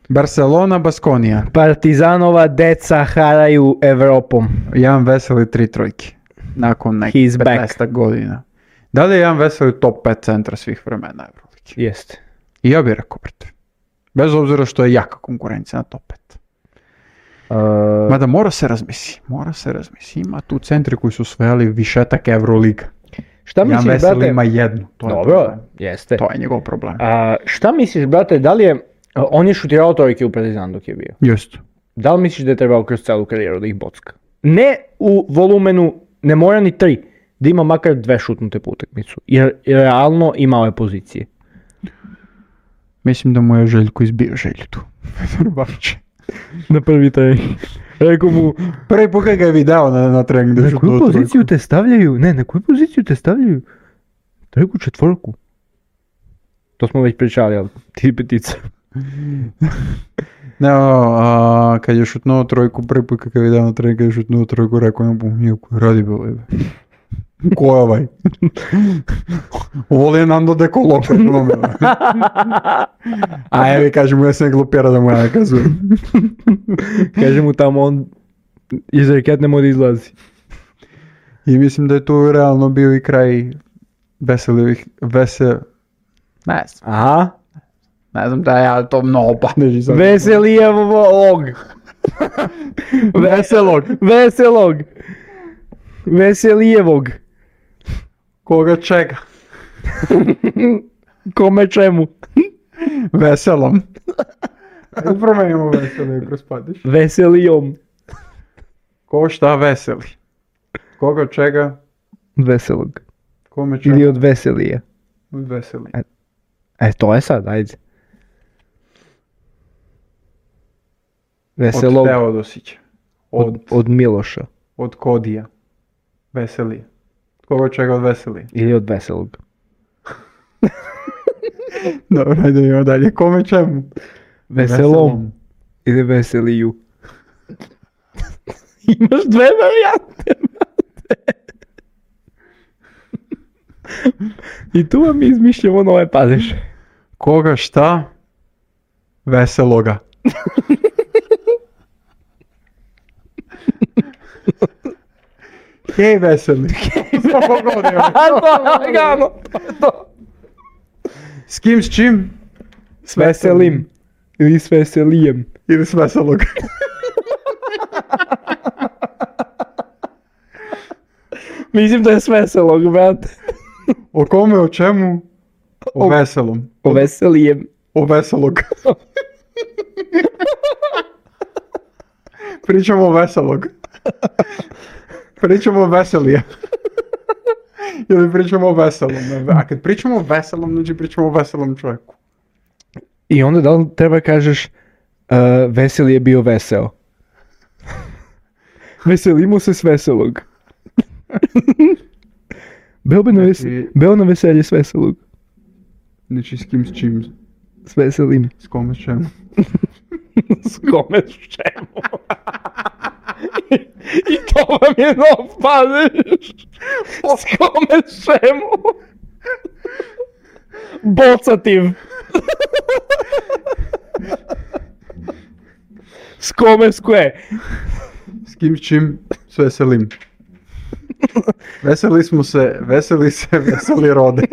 Barcelona, Baskonija. Partizanova deca haraju Evropom. Jedan Veseli 3 trojke. Nakon nekih 15 godina. Da li je jedan Veseli top 5 centra svih vremena Euroligi? Jeste. I ja bih rekao, brate. Bez obzira što je jaka konkurencija na top 5. Mada mora se razmisli. Ima tu centri koji su osvojili višetak Euroliga. Šta misliš, Jan Veseli brate? ima jednu. To dobro, je jeste. To je njegov problem. Šta misliš, brate, da li je... On je šutirao trojke u Partizanu dok je bio. Just. Da li misliš da je trebao kroz celu karijeru da ih bocka? Ne u volumenu, ne mora ni 3, da ima makar 2 šutnute po utakmicu. Jer realno imao je pozicije. Mislim da mu je Željko izbio želju tu. Na prvi trening. Rekao mu, Prvi put kad ga je video na treningu. na koju poziciju te stavljaju? Ne, na koju poziciju te stavljaju? Trojku, četvorku. To smo već pričali, ali ti petica. Ne, kad je šutnuo trojku, prvi put kad je video na treningu, kad je šutnuo trojku, rekao je, radi bilo je. Ko je ovaj? Ovo je Nando De Colo. A evi, kaže mu, ja sam glupira da mu ja ne kazujem. Kaže mu tamo on iz reket ne može izlazi. I mislim da je tu realno bio i kraj Ne znam. Aha. Ne znam da ja to mnogo padeži sad. Veselijevog. Veselijevog. Koga čega? Kome čemu? Veselom. Ajde promenimo veseli kroz padež. Veselijom. Ko šta veseli? Koga čega? Veselog. Kome čega? Ili od veselije. Od veseli. To je sad, ajde. Od Veselog. Teodosića. Od Miloša. Od Kodija. Veselije. Koga čega od veselije? Ili od veselog. Dobro, ajde idemo dalje. Kome čemu? Veselom. Ili veseliju. Imaš dve varijante. I tu vam izmišljamo nove padeže. Koga šta? Veseloga. Hej veseli. S kim, s čim? S veselim. Ili s veselijem. Ili s veselog. Mislim da je s veselog, brate. O kome, o čemu? O veselom. O veselijem. O veselog. Pričamo o veselog. Pričamo o veselije. Ili pričamo o veselom. A kad pričamo o veselom, znači pričamo o veselom čovjeku. I onda da li treba kažeš veseli je bio veseo? Veselimo se s veselog. Beo na veselje s veselog. Znači s kim, s čim? S veselim. S kome, s čemu? S kome, s čemu? I to vam je nov padež. S kome, s čemu? Bocativ. S kome, s kve? S kim, s čim? S veselim. Veseli rode.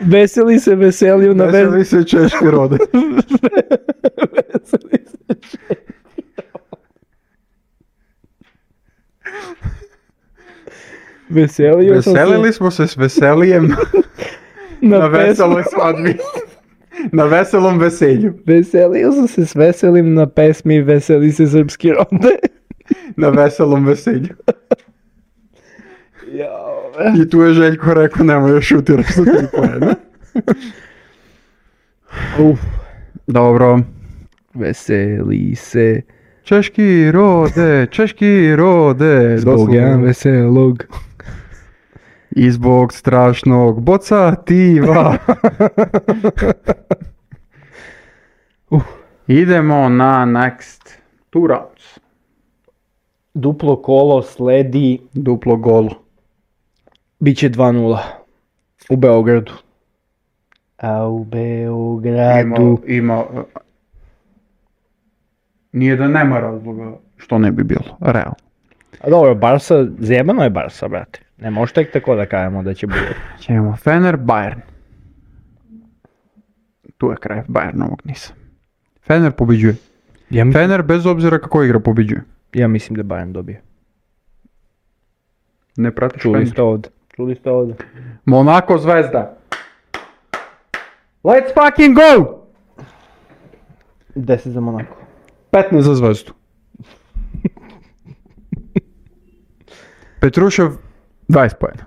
Veseli se veseliju na Veseli se češki rode. Veseli se češki rode. Veselili smo se s veselijem na veseloj svadbi. Na veselom veselju. Veselio sam se s veselim na pesmi Veseli se srpski rode. Na veselom veselju. I tu je Željko rekao, nemoj još šutiraš sa 3 poena. Dobro. Veseli se. Češki rode. Zbog jedan veselog. I zbog strašnog bocativa. Idemo na next 2 rounds. Duplo kolo sledi. Duplo golo. Biće 2-0. U Beogradu. A u Beogradu... Nije da nema razloga što ne bi bilo, realno. A dobro, Barsa, zjebano je Barsa, brate. Ne može tek tako da kažemo da će bude. Ćemo Fener, Bayern. Tu je kraj Bayernovog nisa. Fener pobeđuje. Fener bez obzira kako igra pobeđuje. Ja mislim da Bayern dobije. Ne pratiš Čuli Fener. ste ovdje. Monako Zvezda. Let's fucking go! 10 za Monako. 15 za Zvezdu. Petrušev 20 pojena.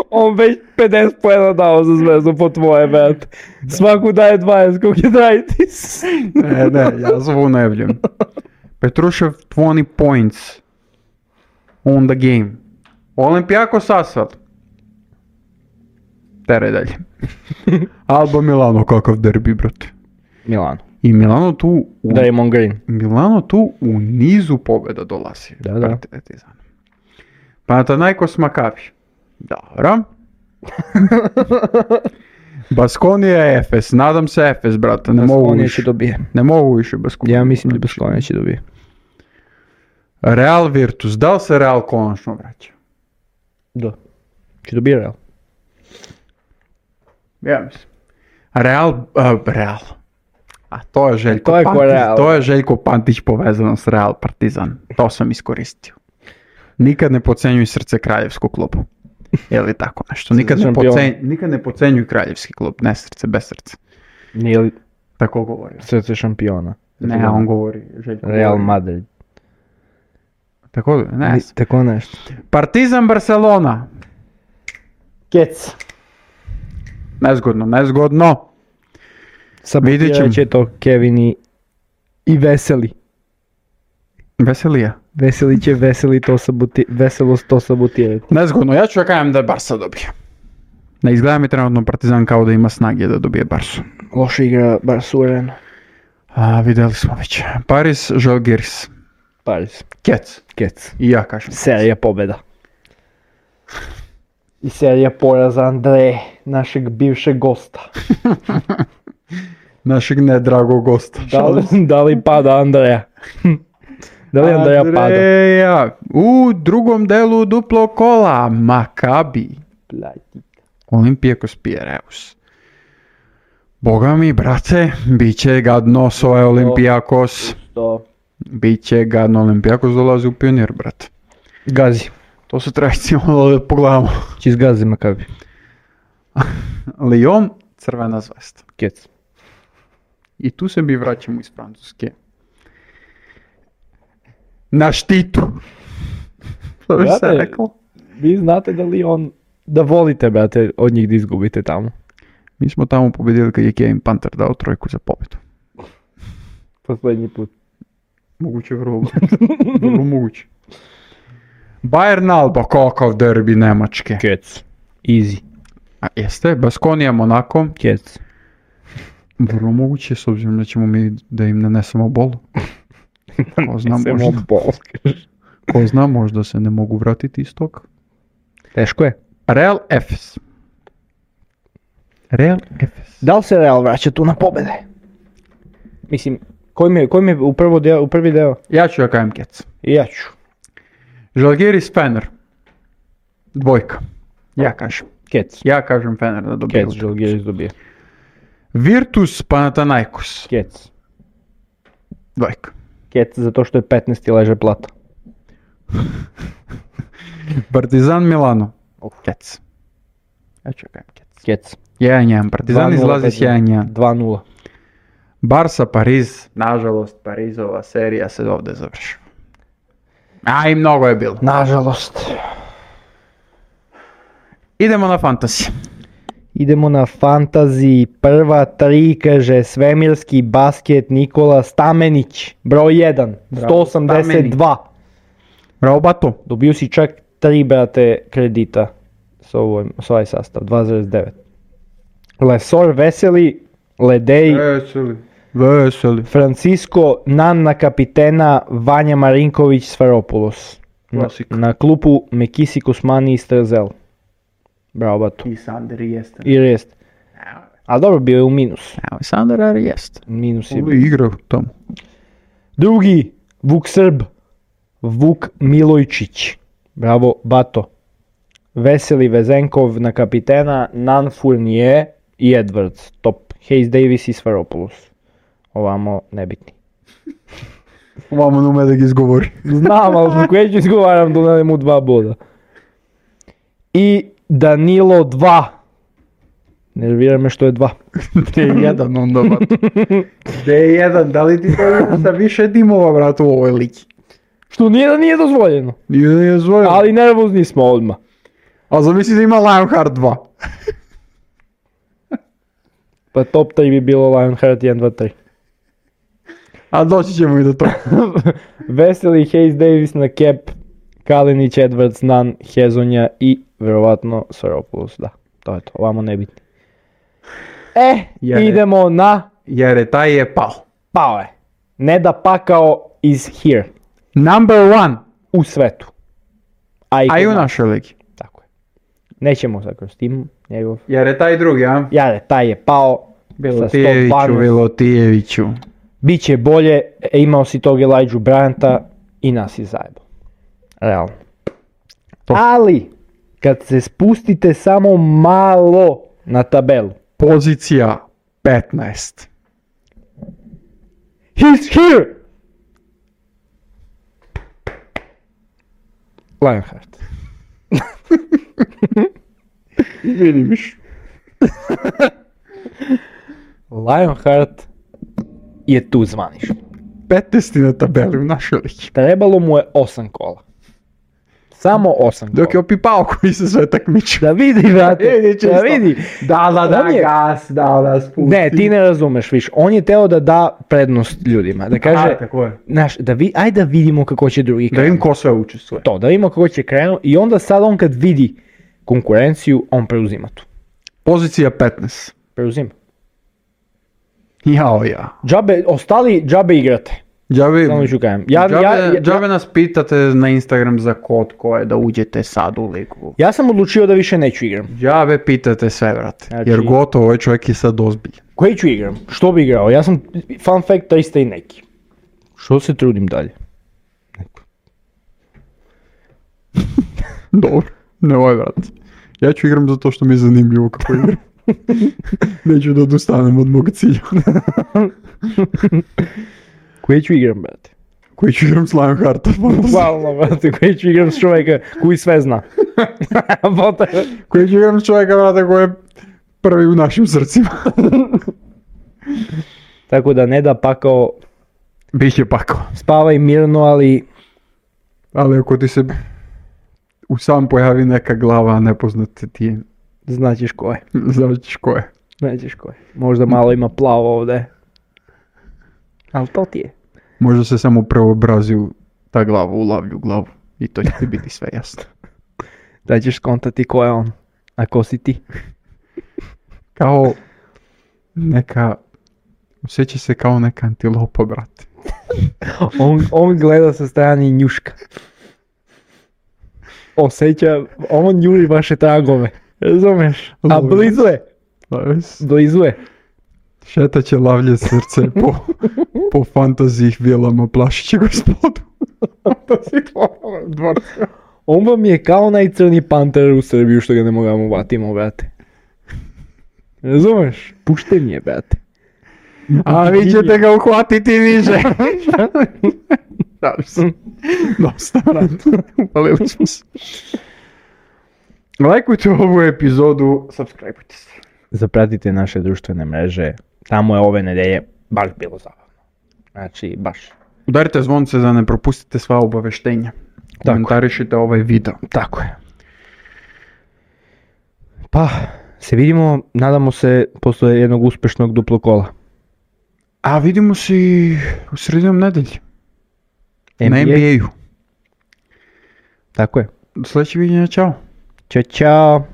On već 50 pojena dao za Zvezdu po tvoje, brate. Svaku daje 20, koliko je Draitis. Ne, ja zvu ne vljem. Petrušev 20 points on the game. Olimpijakos Asvel. Tere dalje. Alba Milano, kakav derbi, brate. Milano. I Milano tu Draymond Green. Milano tu u nizu pobjeda dolazi. Da. Panathinaikos Makabi. Dobro. Baskonija Efes. Nadam se Efes, brate. Ne mogu Baskonija više. će dobije. Ne mogu više Baskonija. Ja mislim da Baskonija će dobije. Real Virtus. Da li se Real konačno vraća? Da. Će dobije Real. Ja mislim. Real. A to je Željko To je ko Pantić. Real. To je Željko Pantić povezano s Real Partizan. To sam iskoristio. Nikad ne podcenjuj srce kraljevskog klubu. Je li tako nešto? Nikad ne podcenjuj kraljevski klub. Ne srce, bez srca. Nije li Tako govori. srce šampiona? Ne, on govori. Željko Real govori. Madrid. Tako, ne. Tako nešto. Partizan Barcelona. Kec. Nezgodno. Sabotirat će to Kevin i Veseli. Veselija. Veseli će veselost to sabotirati. Nezgodno, ja ću kažem da Barsa dobije. Ne izgleda mi trenutno Partizan kao da ima snage da dobije Barsu. Loše igra Barsu Arena. Vidjeli smo već. Paris, Žalgiris. Paris. Kec. I ja kažem. Serija pobjeda. I serija poraza Andreje, našeg bivšeg gosta. Našeg nedragog gosta. Da li pada Andreja? Da li Andreja pada? Andreja, u drugom delu duplo kola, Makabi. Olimpijakos Pireus. Boga mi, brate, bit će gadno s ovaj Olimpijakos. Biće gadno, Olimpijakos dolazi u Pionir, brate. Gazi. To se treba recimo da pogledamo. Či zgazi Makabi. Lyon, Crvena zvezda. Kec. I tu se mi vraćamo iz Francuske. Na štitu. Što bi se rekao? Vi znate da Lyon, da volite, brate, od njih da izgubite tamo. Mi smo tamo pobjedili kad je Kevin Panther dao trojku za pobjedu. Poslednji put. Moguće, vrlo moguće. Bayern Alba, kakav derbi Nemačke. Kec. Easy. A jeste, Baskonija Monako. Kec. Vrlo moguće, s obzirom da ćemo mi da im nanesemo bol. Ko zna, možda se ne mogu vratiti iz toga. Teško je. Real Efes. Da li se Real vraća tu na pobjede? Mislim, koji mi je u prvi deo? Ja ću kažem Kec. I ja ću. Žalgiris Fener. Dvojka. Ja kažem. Kec. Ja kažem Fener da dobije. Kec, Žalgiris dobije. Virtus Panathinaikos. Kec. Dvojka. Kec, zato što je 15. leže plata. Partizan Milano. Kec. Ja ću kažem Kec. Kec. 1-1. Partizan izlazi s 1-1. 2-0. Barsa Pariz. Nažalost, Parizova serija se ovdje završava. A i mnogo je bilo. Nažalost. Idemo na fantasy. Idemo na fantaziji. Prva 3, kaže svemirski basket Nikola Stamenić. Broj 1. 182. Bravo, Bato. Dobio si čak 3, brate, kredita s ovaj sastav. 2,9. Lesor Veseli, Ledej, Veseli. Francisco, Nanna kapitena, Vanja Marinković, Sferopoulos. Na klupu Mekisi Kosmani i Strezel. Bravo, Bato. I Sander jeste. I jest. Ali dobro, bio je u minus. Evo, Sander jeste. Minus je Ovo je igrao tamo. Drugi, Vuk Srb, Vuk Milojčić. Bravo, Bato. Veseli Vezenkov na kapitena, Nan Fournier i Edwards. Top. Hayes Davis i Sferopoulos. Ovamo nebitni. Ovamo nume da ga izgovori. Znam, ali dok već izgovaram da ne mu 2 boda. I Danilo 2. Nervira me što je 2. Gde je 1 onda, Bato? Gde je 1? Da li ti to sa više timova, bratu, u ovoj ligi? Što nije da nije dozvoljeno. Nije dozvoljeno. Ali nervozni smo odmah. A zamisli da ima Lionheart 2. Pa top 3 bi bilo Lionheart 1, 2, 3. A doći ćemo i do toga. Veseli, Hayes Davis na cap, Kalinić, Edwards, Nunn, Hezonja i verovatno Soropoulos, da, to je to, ovamo nebitni. Idemo na... Jer taj je pao. Pao je. Neda Pakao is here. Number 1. U svetu. A i u našoj ligi. Tako je. Nećemo sad kroz tim njegov. Jer je taj drugi, a? Jare, taj je pao. Bilotijeviću. Biće bolje, imao si tog Elijah Bryanta i nas je zajebo. Realno. Ali, kad se spustite samo malo na tabelu. Pozicija 15. He's here! Lionheart. Vidiš. Lionheart je tu zvanično. 15. na tabeli u našoj ligi. Trebalo mu je 8 kola. Samo 8 kola. Dok je opipao koji se sve takmiču. Da vidi, brate, da vidi. Da, gas, da, spusti. Ne, ti ne razumeš više. On je teo da prednost ljudima. Da kaže, tako je. znaš, ajde da vidimo kako će drugi Da krenu. vidim ko sve učestvuje. To, da vidimo kako će krenu i onda sad on kad vidi konkurenciju, on preuzima tu. Pozicija 15. Preuzima. Ja. Ostali džabe igrate. Samo ću kajem. Džabe nas pitate na Instagram za kod koje da uđete sad u ligu. Ja sam odlučio da više neću igram. Džabe pitate sve, brate. Znači, jer gotovo, ovaj čovjek je sad ozbiljan. Koji ću igram? Što bi igrao? Ja sam, fun fact, 300 i neki. Što se trudim dalje? Dobro, ne ovaj, brate. Ja ću igram zato što mi je zanimljivo kako igram. Neću da odustanem od mog cilja. Koji ću igram, brate? Koji ću igram s Lionhearta. Hvala, brate, koji ću igram s čovjeka koji sve zna. Koji ću igram s čovjeka, brate, koji je prvi u našim srcima. Tako da Neda Pakao... Biće pakao. Spavaj mirno, ali... Ali ako ti se u sam pojavi neka glava nepoznate ti... Značiš ko je. Značiš ko je. Možda malo ima plavo ovdje. Ali to ti je. Možda se samo preobrazi ta glava u lavlju glavu. I to će ti biti sve jasno. Da ćeš skontati ko je on. A ko si ti? Kao neka... Osjeća se kao neka antilopa, brate. on gleda sa strane i njuška. Osjeća, on njuri vaše tragove. Razumeš? A blizu je. Šetat će lavlje srce po fantaziji vilama plašiće gospodu. On vam je kao najcrni panter u Srbiju što ga ne mogamo vatimo, brate. Razumeš? Pušten je, brate. A vi ćete ga uhvatiti niže. Dosta, brate. Upalili smo se. Lajkujte ovu epizodu, subscribeujte se. Zapratite naše društvene mreže. Tamo je ove nedelje baš bilo zabavno. Znači, baš. Udarite zvonce da ne propustite sva obaveštenja. Komentarišite ovaj video. Tako je. Pa, se vidimo, nadamo se, posle jednog uspešnog duplo kola. A vidimo se u sredinom nedelje. Na NBA-u. Tako je. Do sljedećeg viđenja, čao. Ćao.